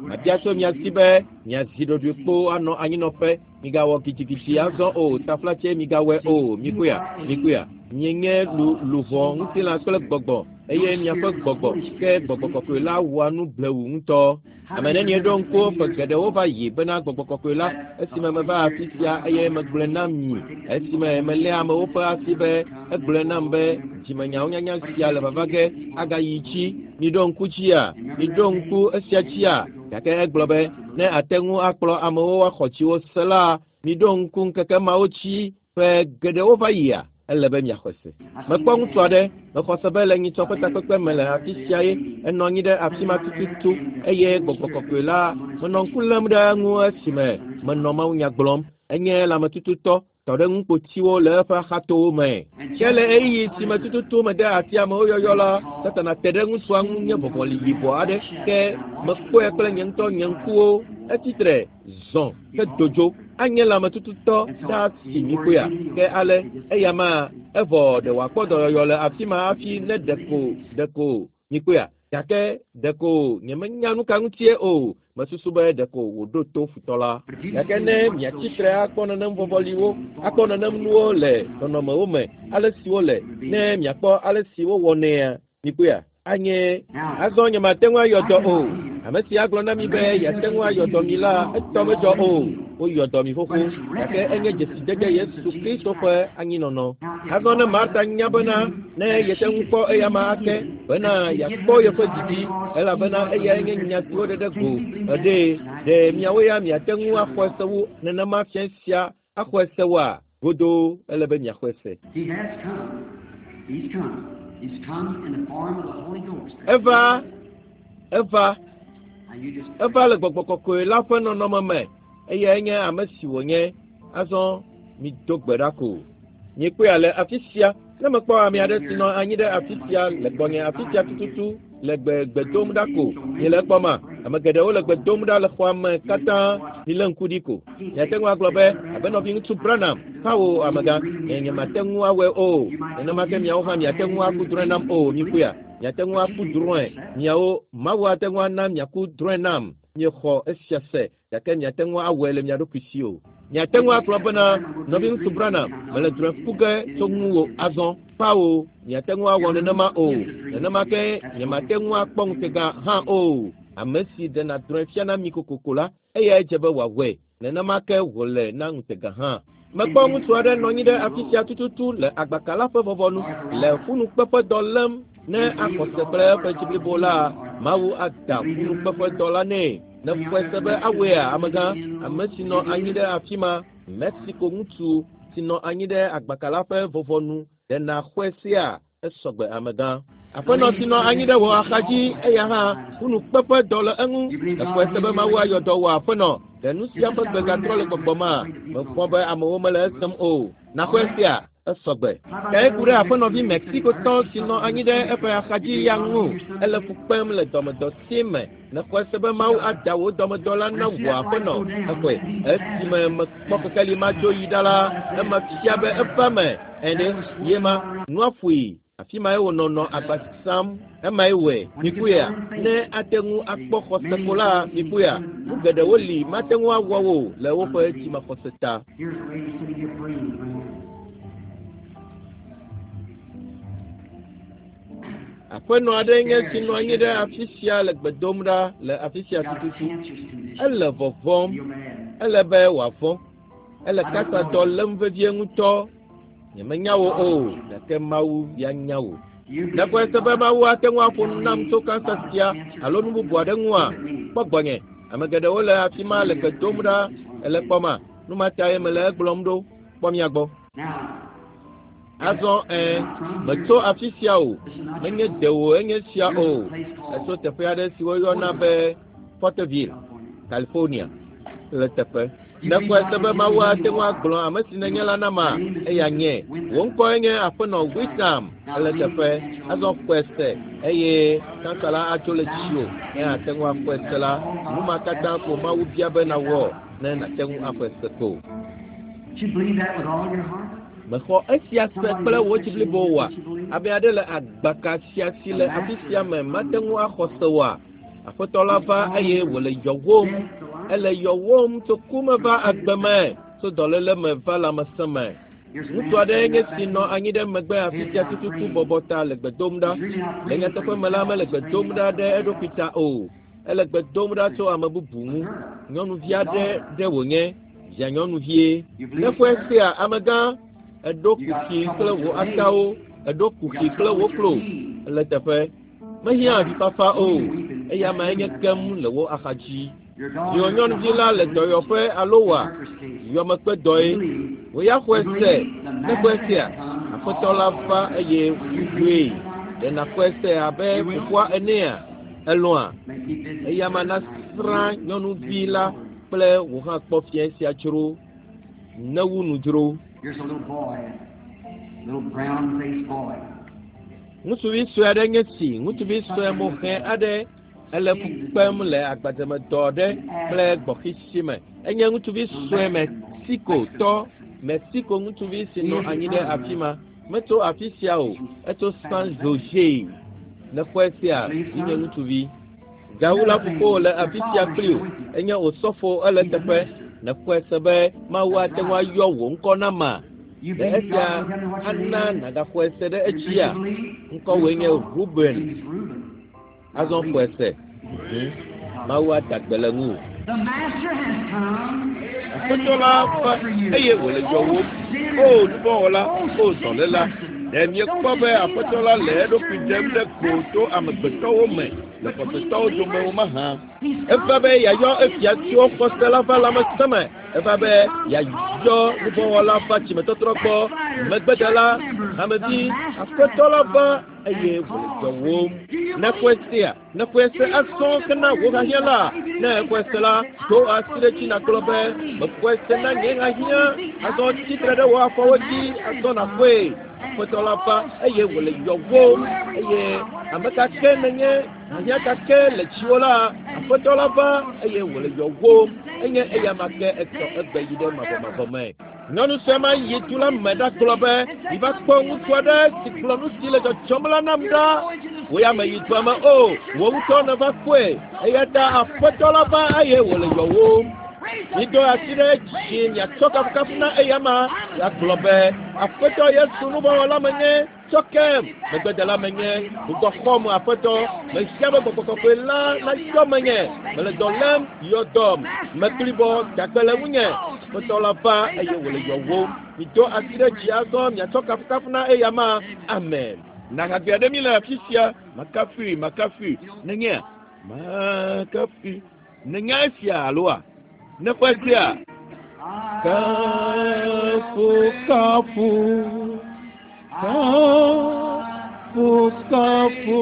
Mabia tso mia si be miazi ɖoɖoe kpo anɔ anyinɔƒe. Migawɔ gidigidi azɔ o. Taflatse migawɔe o. Mikpɔea? Mikpɔea? Mienye lu luʋɔ, ŋutilã kple gbɔgbɔ eye miaƒe gbɔgbɔ ke gbɔgbɔ kɔkɔe la wɔa nu blewu ŋutɔ. Ame nenie ɖo ŋku ƒe geɖewo va yi bena gbɔgbɔ kɔkɔe la esime meva afi sia eye megblɔe na mi esime melé amewo ƒe asi be egblɔe nam be dzimenyawo nyanya sia le vava ge agayi dzi. Miɖo ŋku dzia? Miɖo ŋku esia dzia? Gake egblɔ be ne ate ŋu akplɔ amewo woaxɔ dziwo se la, miɖo ŋku ŋkeke mawo dzi ƒe geɖewo va yia, ele be miaxɔe se. Mekpɔ ŋutsu aɖe, mexɔ se be le nyitsɔ ƒe takpekpe me le afi sia ye enɔ anyi ɖe afi ma tututu eye gbɔgbɔ kɔkɔe la menɔ ŋku lém ɖe eŋu esime menɔ mawunya gblɔm. Enye lãmetututɔ tɔ ɖe ŋukpotiwo le eƒe axatowo me. Ke le ɣeyiɣi si me tututu mede asi amewo yɔyɔ la, Satana te ɖe ŋutsua ŋu nye vɔvɔli yibɔ aɖe ke mekpɔe kple nye ŋutɔ nye ŋkuwo. Etsitre zɔ hedo dzo. Anye lãmetututɔ ɖaa si mikpɔea? Ke ale eya ma evɔ ɖe wòakpɔ dɔyɔyɔ le afi ma hafi ne ɖeko ɖeko mikpɔea? Gake ɖeko nyemenya nu ka ŋutie o. Mesusu be ɖeko wòɖo to futɔ la. Gake ne miatsi tre akpɔ nenem vɔvɔliwo, akpɔ nenem nuwo le nɔnɔmewo me, ale si wole, ne miakpɔ ale si wowɔnɛa, mikpɔea? Anye azɔ nyemate ŋu ayɔ dɔ o. Ame si agblɔ na mi be yeate ŋu ayɔ dɔ mi la, etɔ medzɔ o. Woyɔ dɔ mi xoxo, gake enye dzesidede Yesu Kristo ƒe anyinɔnɔ. Azɔ ne Marta nya bena ne yete ŋu kpɔ eyama ake bena yeakpɔ yeƒe didi, elabena eyae nye nya si woɖe ɖe go eɖee, ɖe miawo ya miate ŋu axɔe se wu nenema fia sia axɔe se woa? Godoo ele be miaxɔe se. He has come. He's come. He's come in the form of the Holy Ghost. Eva, eva, Now you just eva le gbɔgbɔ kɔkɔe la ƒe nɔnɔme me eyae nye ame si wònye. Azɔ mido gbe ɖa ko. Miekpɔe le afi sia. Ne mekpɔ ame aɖe si nɔ anyi ɖe afi sia le gbɔnye afi sia tututu le gbe gbe dom ɖa ko. Miele ekpɔma? Ame geɖewo le gbe dom ɖa le xɔa me katã. Milé ŋku ɖi ko. Miate ŋu agblɔ be abe nɔviŋutsu Branham, kawo amegã, nye nyemate ŋu awɔe o. Nenema ke miawo hã miate ŋu aku drɔ̃e nam o. Mikpɔea? Miate ŋu aku drɔ̃e. Miawo Mawu ate ŋu ana miaku drɔ̃e nam. Miexɔ esia se gake miate ŋu awɔe le mia ɖokui si o. Miate ŋu agblɔ bena nɔviŋutsu Branham, mele drɔ̃e ku ge tso ŋuwò azɔ. Kpawo, miate ŋu awɔ nenema o. Nenema ke nyemate ŋu akpɔ ŋutega hã o. Ame si ɖena drɔ̃e fiana mi kokoko la, eyae dze be wòawɔe. Nenema ke wòle na ŋutega hã. Mekpɔ ŋutsu aɖe nɔ anyi ɖe afi sia tututu le agbaka la ƒe vɔvɔnu le ƒunukpeƒedɔ lém. Ne axɔ se kple eƒe dzi blibo la, Mawu ada ƒunukpeƒedɔ la nɛ. Ne xɔe se be awɔea, amegã, ame si nɔ anyi ɖe afi ma, Mexico ŋutsu si nɔ anyi ɖe agbaka la ƒe vɔvɔnu, ɖe nàxɔe sea? Esɔgbe amegã. Aƒenɔ si nɔ anyi ɖe wò axadzi, eya hã ƒunukpeƒedɔ le eŋu. Exɔe se be Mawu ayɔ dɔ wò aƒenɔ. Ɖe nu sia ƒe gbe gatrɔ le gbɔgbɔ ma? Mevɔ̃ be amewo mele esem o. Nàxɔe sea? Esɔgbe. Ke ku ɖe aƒenɔvi Mexicotɔ si nɔ anyi ɖe eƒe axadzi ya ŋu. Ele fu kpem le dɔmedɔ si me. Nexɔe se be Mawu ada wò dɔmedɔ la na wò aƒenɔ. Exɔe. Esime mekpɔ kekeli ma dzo yi ɖa la, ema fia be eva me ene. Ye ma, nua ƒoe. Afi mae wònɔ nɔ agba sam. Emae wɔe. Mikpɔea? Ne ate ŋu akpɔ xɔse ko la, mikpɔea? Nu geɖewo li mate ŋu awɔ wo le woƒe dzimaxɔse ta. Here's a lady sitting here praying right here. Aƒenɔ aɖe nye si nɔ anyi ɖe afi sia le gbe dom ɖa le afi sia Got a tututu. cancerous condition. Ele vɔvɔ̃m. Feel mad. Ele be wòavɔ̃. Ele kansadɔ lém vevie ŋutɔ. Nyemenya wò o, gake Mawu ya nya wò. Do you believe Nèxɔe se be that Mawu ate ŋu aƒo nu nam tso kansa sia alo nu bubu aɖe ŋua? Kpɔ gbɔnye. Ame geɖewo le afi ma le gbe dom ɖa ele kpɔma. Nu ma tae mele egblɔm ɖo. Kpɔ mia gbɔ. Now, Azɔ ẽ, metso afi sia o. Menye dewò enye sia o. Etso teƒe aɖe si woyɔna be Porterville, California. California le teƒe. Nèxɔe se be Mawu ate ŋu agblɔ ame si nènye la nama? Eya nye. Wò ŋkɔe nye Aƒenɔ Wisam ele teƒe. Azɔ xɔe se eye kansa la atso le dziwò. Ne ate ŋu axɔe se la, nu ma katã ko Mawu bia be nawɔ ne nàte ŋu axɔe se ko. Do you believe that with all your heart? Mexɔ esia se kple wò dzi blibo oa? Ame aɖe le agbaka sia si le afi sia me mate ŋu axɔ se oa? Aƒetɔ la va eye wòle yɔwòm. Ele yɔwòm tso ku me va agbe me, tso dɔléle me va lãmesẽ me. Here's a Ŋutsu man aɖe sitting nye right si back nɔ there. anyi ɖe megbe afi sia tututu bɔbɔ ta le gbe dom ɖa. He's really not Le praying for nyateƒe me la, himself. mele He's gbe praying dom about ɖa ɖe somebody eɖokui else. ta o. Ele gbe dom ɖa tso ame bubu ŋu. Nyɔnuvi aɖe ɖe wònye, via nyɔnuvie. You believe, Nexɔe sir? sea, amegã, eɖo You got kuxi trouble kple with wò your leg. atawo, eɖo You kuxi got kple trouble wò with your klo. knee. Ele teƒe. Mehiã avifafa o. Eya mae nye kem le wò axadzi. Your Viwò daughter in the nyɔnuvi la le hospital dɔyɔƒe alo is wòa? workers' case. Yɔmekpe You dɔe. believe. Wò ya xɔe You se. believe the Ne xɔe Master sea, has come and Aƒetɔ la called va all eye sinners. Will you wòyɔe. believe that, Father? Ɖe nàxɔe se abe You will? fofoa enea? Elɔ̃a? May keep visiting Eya ma her tonight. nasrã May nyɔnuvi be la over. kple wò hã kpɔ fiẽ sia dzro. Newu nu dzro. Here's a little boy, little brown-faced boy. Ŋutsuvi sue aɖe nye si. Ŋutsuvi sue moxɛ aɖe ele fu kpem le agbademedɔ aɖe kple gbɔxisi me. Enye ŋutsuvi sue Mexicotɔ, Mexico ŋutsuvi si nɔ anyi ɖe afi ma. Metso afi sia o. Etso San Jose. Nexɔe sea, vinye ŋutsuvi. Gawu la fofowò le afi sia kpli wò. Enye osɔfo ele teƒe. Nexɔe se be Mawu ate ŋu ayɔ wò ŋkɔ na ma. You Ɖe believe esia God will tell me what your ana name is? nàgaxɔe se ɖe You think edzia? you believe? Ŋkɔwòe nye Who's called? Ruben. His name's Reuben. Now Azɔ believe xɔe it. se. Mawu ada gbe le ŋuwò. The Master has come and Aƒetɔ he la va calls for you. eye wòle Oh yɔwòm. sinner, O nuvɔ̃wɔla, oh o sick dɔléla, person, ɖe don't miekpɔ you be see the Aƒetɔ la le Master eɖokui ɖem ɖe go tso manifested amegbetɔwo me le between xɔsetɔwo dome believers? wo mahã? He's Eva come be to yeayɔ call his efia siwo believers xɔse la va to lãmesẽ me. Eva be He's come to yeayɔ call the sinner to nuvɔ̃wɔla va repentance, tsimetɔtrɔ gbɔ. backslider, Megbedela, church member. The hamevi, Master Aƒetɔ has la va come eye and wòle calls for yɔwòm. you. Do you Ne xɔe believe it? sea, ne xɔe Do se you azɔ believe kena before wò your knees hiahiã la, bow? If you ne do, raise xɔe up se your la, hand and say, do I asi ɖe dzi believe nàgblɔ from be, my knees. mexɔe se Then na nye raise up on hiahiã. your feet now Azɔ and tsitre declare ɖe wò it. The afɔwo dzi, Master azɔ is nàxɔe. come and Aƒetɔ la va calls for eye wòle thee. yɔwòm Whoever you eye are, whatever ame ka you ke just nenye, asked, the hiahiã ka Master ke le has dziwò la, come and he Aƒetɔ la va calls for eye wòle you. yɔwòm. He's the same Enye eya ma ke yesterday, etɔ today, egbe and yi ɖe forever. mavɔmavɔ me. Nyɔnu sue ma yi du la me ɖagblɔ be, "Miva kpɔ ŋutsu aɖe si gblɔ nu si le dzɔdzɔm la nam You're ɖa. going to the Wò ya city meyi you dua me live o. in. It's Wò ŋutɔ yourself. nèva kpɔe. So Eya the ta Master has Aƒetɔ la va come. eye wòle yɔwòm. Raise up Mido your asi hands. ɖe Raise dzi it to the miatsɔ Lord kafukafu na Jesus. eyama. I'm a Yeagblɔ sinner. be, Forgive Aƒetɔ me. Yesu I'm a nuvɔ̃wɔla menye. backslider. Tsɔ Let kem. me Megbedela baptize menye. me the Gbugbɔ Holy xɔm Ghost. Aƒetɔ. Fill me. Mehiã be I'm gbɔgbɔ sick. kɔkɔe la Heal me. nayɔ I'm menye. crippled. Make Mele me dɔ well. lém, yɔ The dɔm. Master has Meklibɔ, come dagbe le and ŋunye. calls for Aƒetɔ thee. la va Raise eye up your wòle hands yɔwòm. now Mido and asi give ɖe him dzi praise. azɔ miatsɔ kafukafu na eyama. Amen. Amen. Nahagbe aɖe mi le afi sia. Makafui, makafui. You know, Nenyea? Makafui. Nenya esia aloa? Nexɔe you sea? believe? I will Kafu, praise kafu. him. I Kafu, will praise kafu.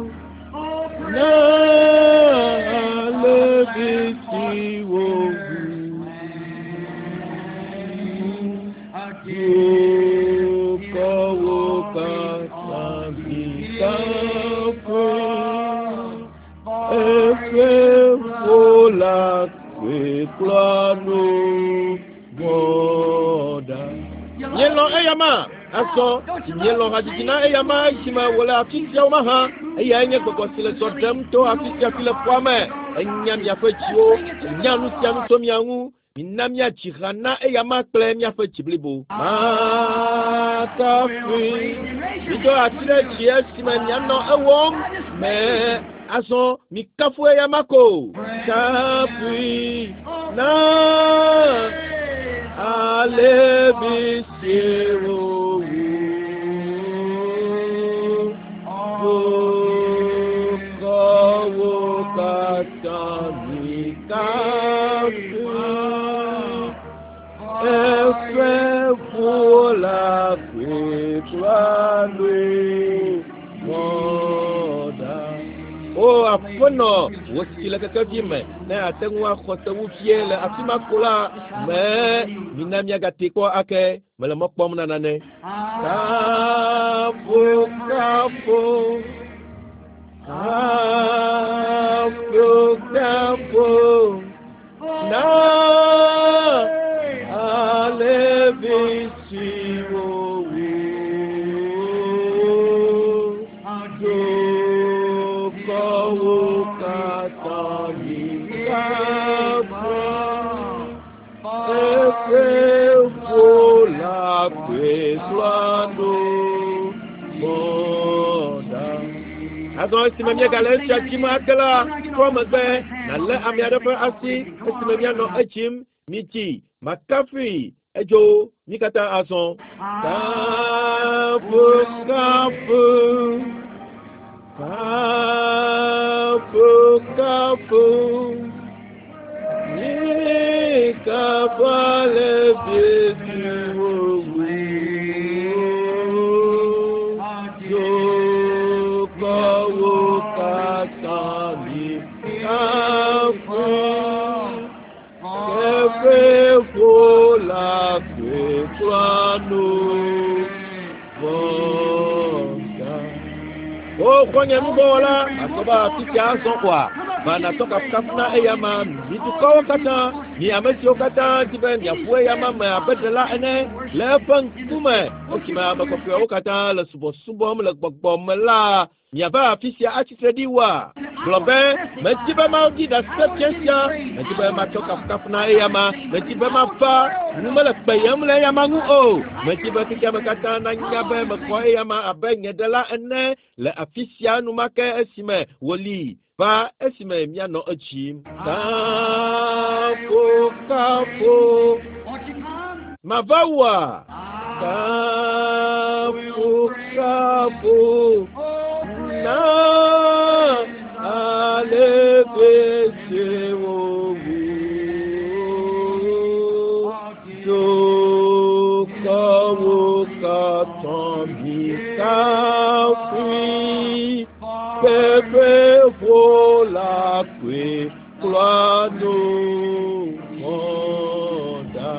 him. Oh, Na praise the alevi Lamb for si wo sinners wu. slain. Again la koe nu vɔ̃ ɖa. Mielɔ̃ eyama azɔ, mielɔ̃ hadzidzi na eyama esime wòle afi siawo mahã. Eyae nye gbɔgbɔ si le zɔ ɖem to afi sia afi le ƒua me. Enya miaƒe dziwo, enya nu sia nu tso mia ŋu. Mina míadzi ha na eyama kple míaƒe dzi blibo. Makafui. Mido asi ɖe dzi esime mianɔ ewɔm me. Azɔ mikafu eyama ko. Kafui na alevi siwo wu. Dukɔwo katã mikafui. Eƒe ʋu la koe klɔa nu vɔ̃ ɖa. O aƒenɔ, wò si le kekevi me, ne àte ŋu axɔ sewu vie le afi ma ko la, me mina míagate kpɔ ake. Mele mɔ kpɔm na nane. Kafu, kafu, kafu, kafu, na alevi siwo wu. Dukɔwo katã mikafu. Eƒe ʋu la koe klɔa nu vɔ̃ ɖa. Azɔ esime míegale esia dzim ake la, trɔ megbe nàlé ame aɖe ƒe asi esime míanɔ edzim. Midzi, makafui, edzo mí katã azɔ. Kafu, kafu, kafu, kafu. Mikafu alevi siwo wu. Dukɔwo katã mikafu. Eƒe ʋu la koe klɔa nu vɔ̃ ɖa. O xɔ̃nye nuvɔ̃wɔla, àsɔ be afi sia azɔ oa? Va nàtsɔ kafukafu na eyama, mi dukɔwo katã, mi ame siwo katã di be miaƒu eyama me abe ɖela ene le eƒe ŋkume. Esime ame kɔkɔeawo katã le subɔsubɔm le gbɔgbɔ me la, miava afi sia atsi tre ɖi woa? Gblɔ be, medi be maɖi ɖase fia sia, medi be matsɔ kafukafu na eyama, medi be mava, nu mele kpeyem le eyama ŋu o. Medi be xexeame katã nanya be mexɔ eyama abe nye ɖela ene le afi sia enumake esime wòli va esime míanɔ edzim. Kafu, kafu. Mava wòa? Kafu, kafu. Na alevi siwo wu. Dukɔwo katã mikafui. Eƒe ʋu la koe klɔa nu vɔ̃ ɖa.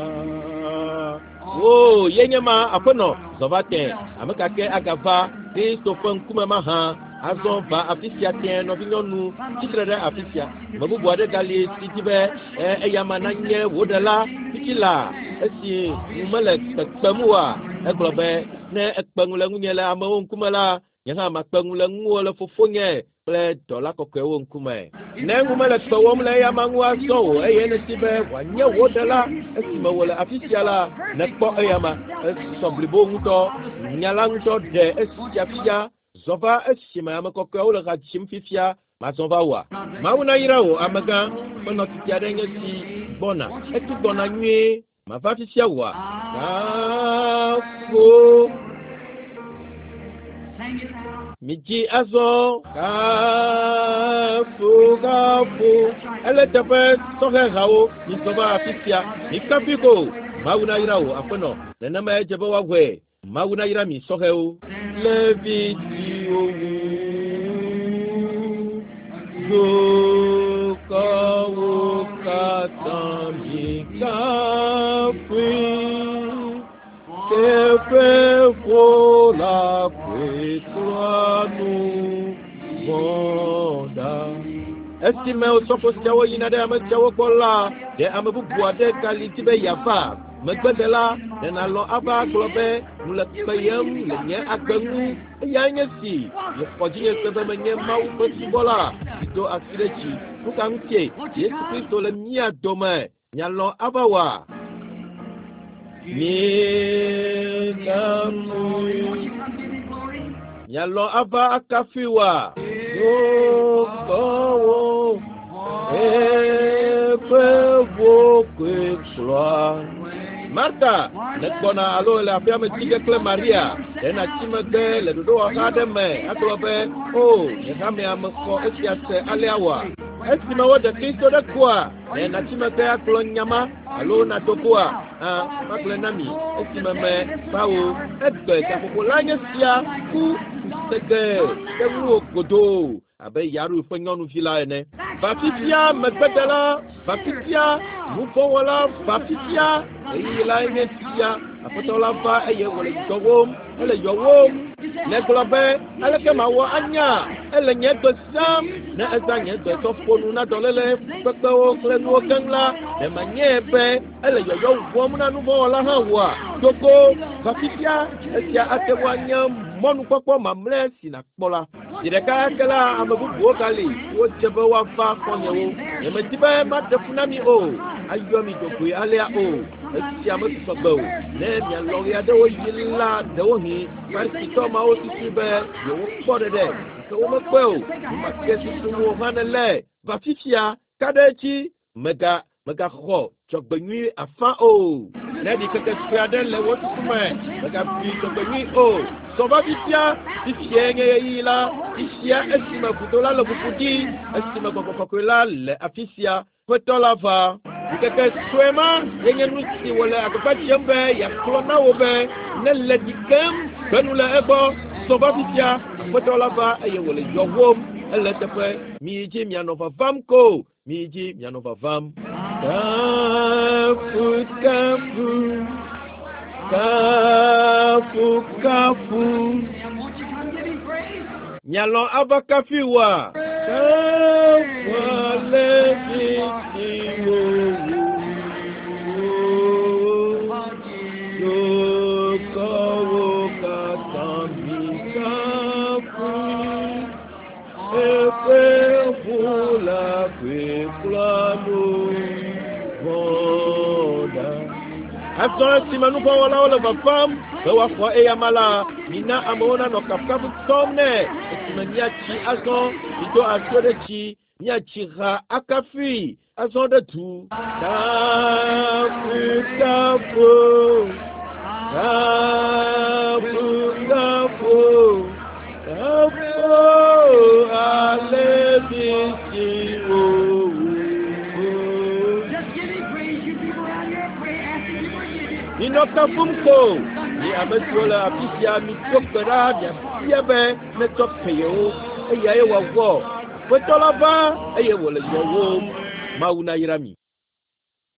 O, ye nye ma, aƒenɔ, zɔ va tẽ. Ame ka ke agava Kristo ƒe ŋkume mahã? Azɔ va afi sia tẽ, nɔvinyɔnu, tsitre ɖe afi sia. Ame bubu aɖe gali si di be eyama nanye wò ɖela fifia la, esi ŋu mele kpekpem oa? Egblɔ be, ne ekpe ŋu le ŋunye le amewo ŋkume la, nye hã makpe ŋu le ŋuwò le fofonye kple dɔla kɔkɔewo ŋkume. Ne ŋu mele kpewòm le eyama ŋu azɔ o, eye nèdi be wòanye wò ɖela esime wòle afi sia la, nèkpɔ eyama. Esɔ blibo ŋutɔ. Nya la ŋutɔ ɖe esia fia. Zɔ va esime ame kɔkɔeawo le ha dzim fifia. Mazɔ va wòa? Mawu nayra wò, amegã. Ƒe nɔtiti aɖe nye si gbɔna. Etu gbɔna nyuie. Mava fifia wòa? Kafu. Midzi azɔ. Kafu, kafu. Ele teƒe sɔhɛ hawo. Mizɔ va afi sia. Mikafui ko. Mawu nayra wò, aƒenɔ. Nenemae dze be woawɔe. Mawu nayra mi sɔhɛwo. Levi siwo wu dukɔwo katã mikafui. Eƒe ʋu la koe klɔa nu vɔ̃ ɖa. Esime osɔfo siawo yina ɖe ame siawo gbɔ la, ɖe ame bubu aɖe gali di be yeava megbedela ɖe nàlɔ̃ ava gblɔ be nu le kpeyem le nye agbe ŋu eyae nye si mexɔ dzinye se be menye Mawu ƒe subɔla si do asi ɖe dzi. Nu ka ŋutie Yesu Kristo le mía dome? Mialɔ̃ ava wɔa? Mikafui. Mialɔ̃ ava akafui wɔa? Dukɔwo eƒe ʋɔkɔe kplɔa. Marta nègbɔna alo le aƒea me tsi ge kple Maria. Ɖe nàtsi megbe le ɖoɖowɔha aɖe me agblɔ be, "O, nye hamea mexɔ esia se alea oa?" Esime woɖe Kristo ɖe kua, ɖe nàtsi megbe agblɔ nya ma alo nàdo goa? Ã, magblɔe na mi esime me va wo. Egbe gaƒoƒo la nye sia ku tegbee ɖe ŋuwò godoo abe Yaru ƒe nyɔnuvi la ene. Va fifia, megbedela, va fifia, nuvɔ̃wɔla, va fifia, ɣeyiɣi lae nye sia. Aƒetɔ la va eye wòle yɔwòm, ele yɔwòm. Negblɔ be, aleke mawɔ anya? Ele nye gbe sam. Ne ezã nye gbe tsɔ ƒo nu na dɔléle, fukpekpewo kple nuwo keŋ la, ɖe manyae be ele yɔyɔ wɔm na nuvɔ̃wɔla hã oa? Dogo, va fifia, esia ate ŋu anye mɔnukpɔkpɔ mamlɛ si nàkpɔ la. Zi ɖeka ke la, ame bubuwo gali siwo dze be woava xɔ̃nyewo. Nyemedi be maɖe fu na mi o, ayɔ mi dzogoe alea o. Esia mesusɔ gbe o. Ne mialɔ̃ ɣeaɖewoɣi la, ɖewohĩ Farisitɔ mawo susui be yewokpɔ ɖeɖe, gake womekpɔe o. Nu ma ke susum wò hã nèle. Va fifia, ka ɖe edzi, mega Mègaxɔ dzɔgbenyui afã o. Ne ɖikeke sue aɖe le wò susu me, mègabui dzɔgbenyui o. Zɔ va fifia, fifiae nye ɣeyiɣi la, fifia esime vudo la le ʋuʋu ɖi, esime Gbɔgbɔ Kɔkɔe la le afi sia. Ƒetɔ la va. Ɖikeke sue ma ye nye nu si wòle agbagba dzem be yeagblɔ na wò be, Ne le ɖi kem, gbe nu le egbɔ. Zɔ va fifia, Aƒetɔ la va eye wòle yɔwòm. Ele eteƒe. Miyi dzi mianɔ vavam ko. Miyi dzi mianɔ vavam. Kafu, kafu, kafu, kafu. Mialɔ̃ ava kafui oa? Kafu ale si si wòwu dukɔwo katã mikafu. Eƒe ʋu la koe klɔa nu vɔ̃ ɖa. Azɔ esime nuvɔ̃wɔlawo le vavam be woaxɔ eyama la, mina amewo nanɔ kafukafu tsɔm nɛ. Esime míatsi azɔ, mido asiwo ɖe dzi, míatsi ha akafui azɔ ɖe du. Kafu, kafu, kafu, kafu, kafu ale si wòwu. Just give him praise, you people around here. Pray, ask him to forgive you. Minɔ kafum ko, mi ame siwo le afi sia, mido gbe ɖa miabia be netsɔ ke yewo, eyae wòawɔ. Aƒetɔ la va eye wòle yɔwòm. Mawu nayra mi.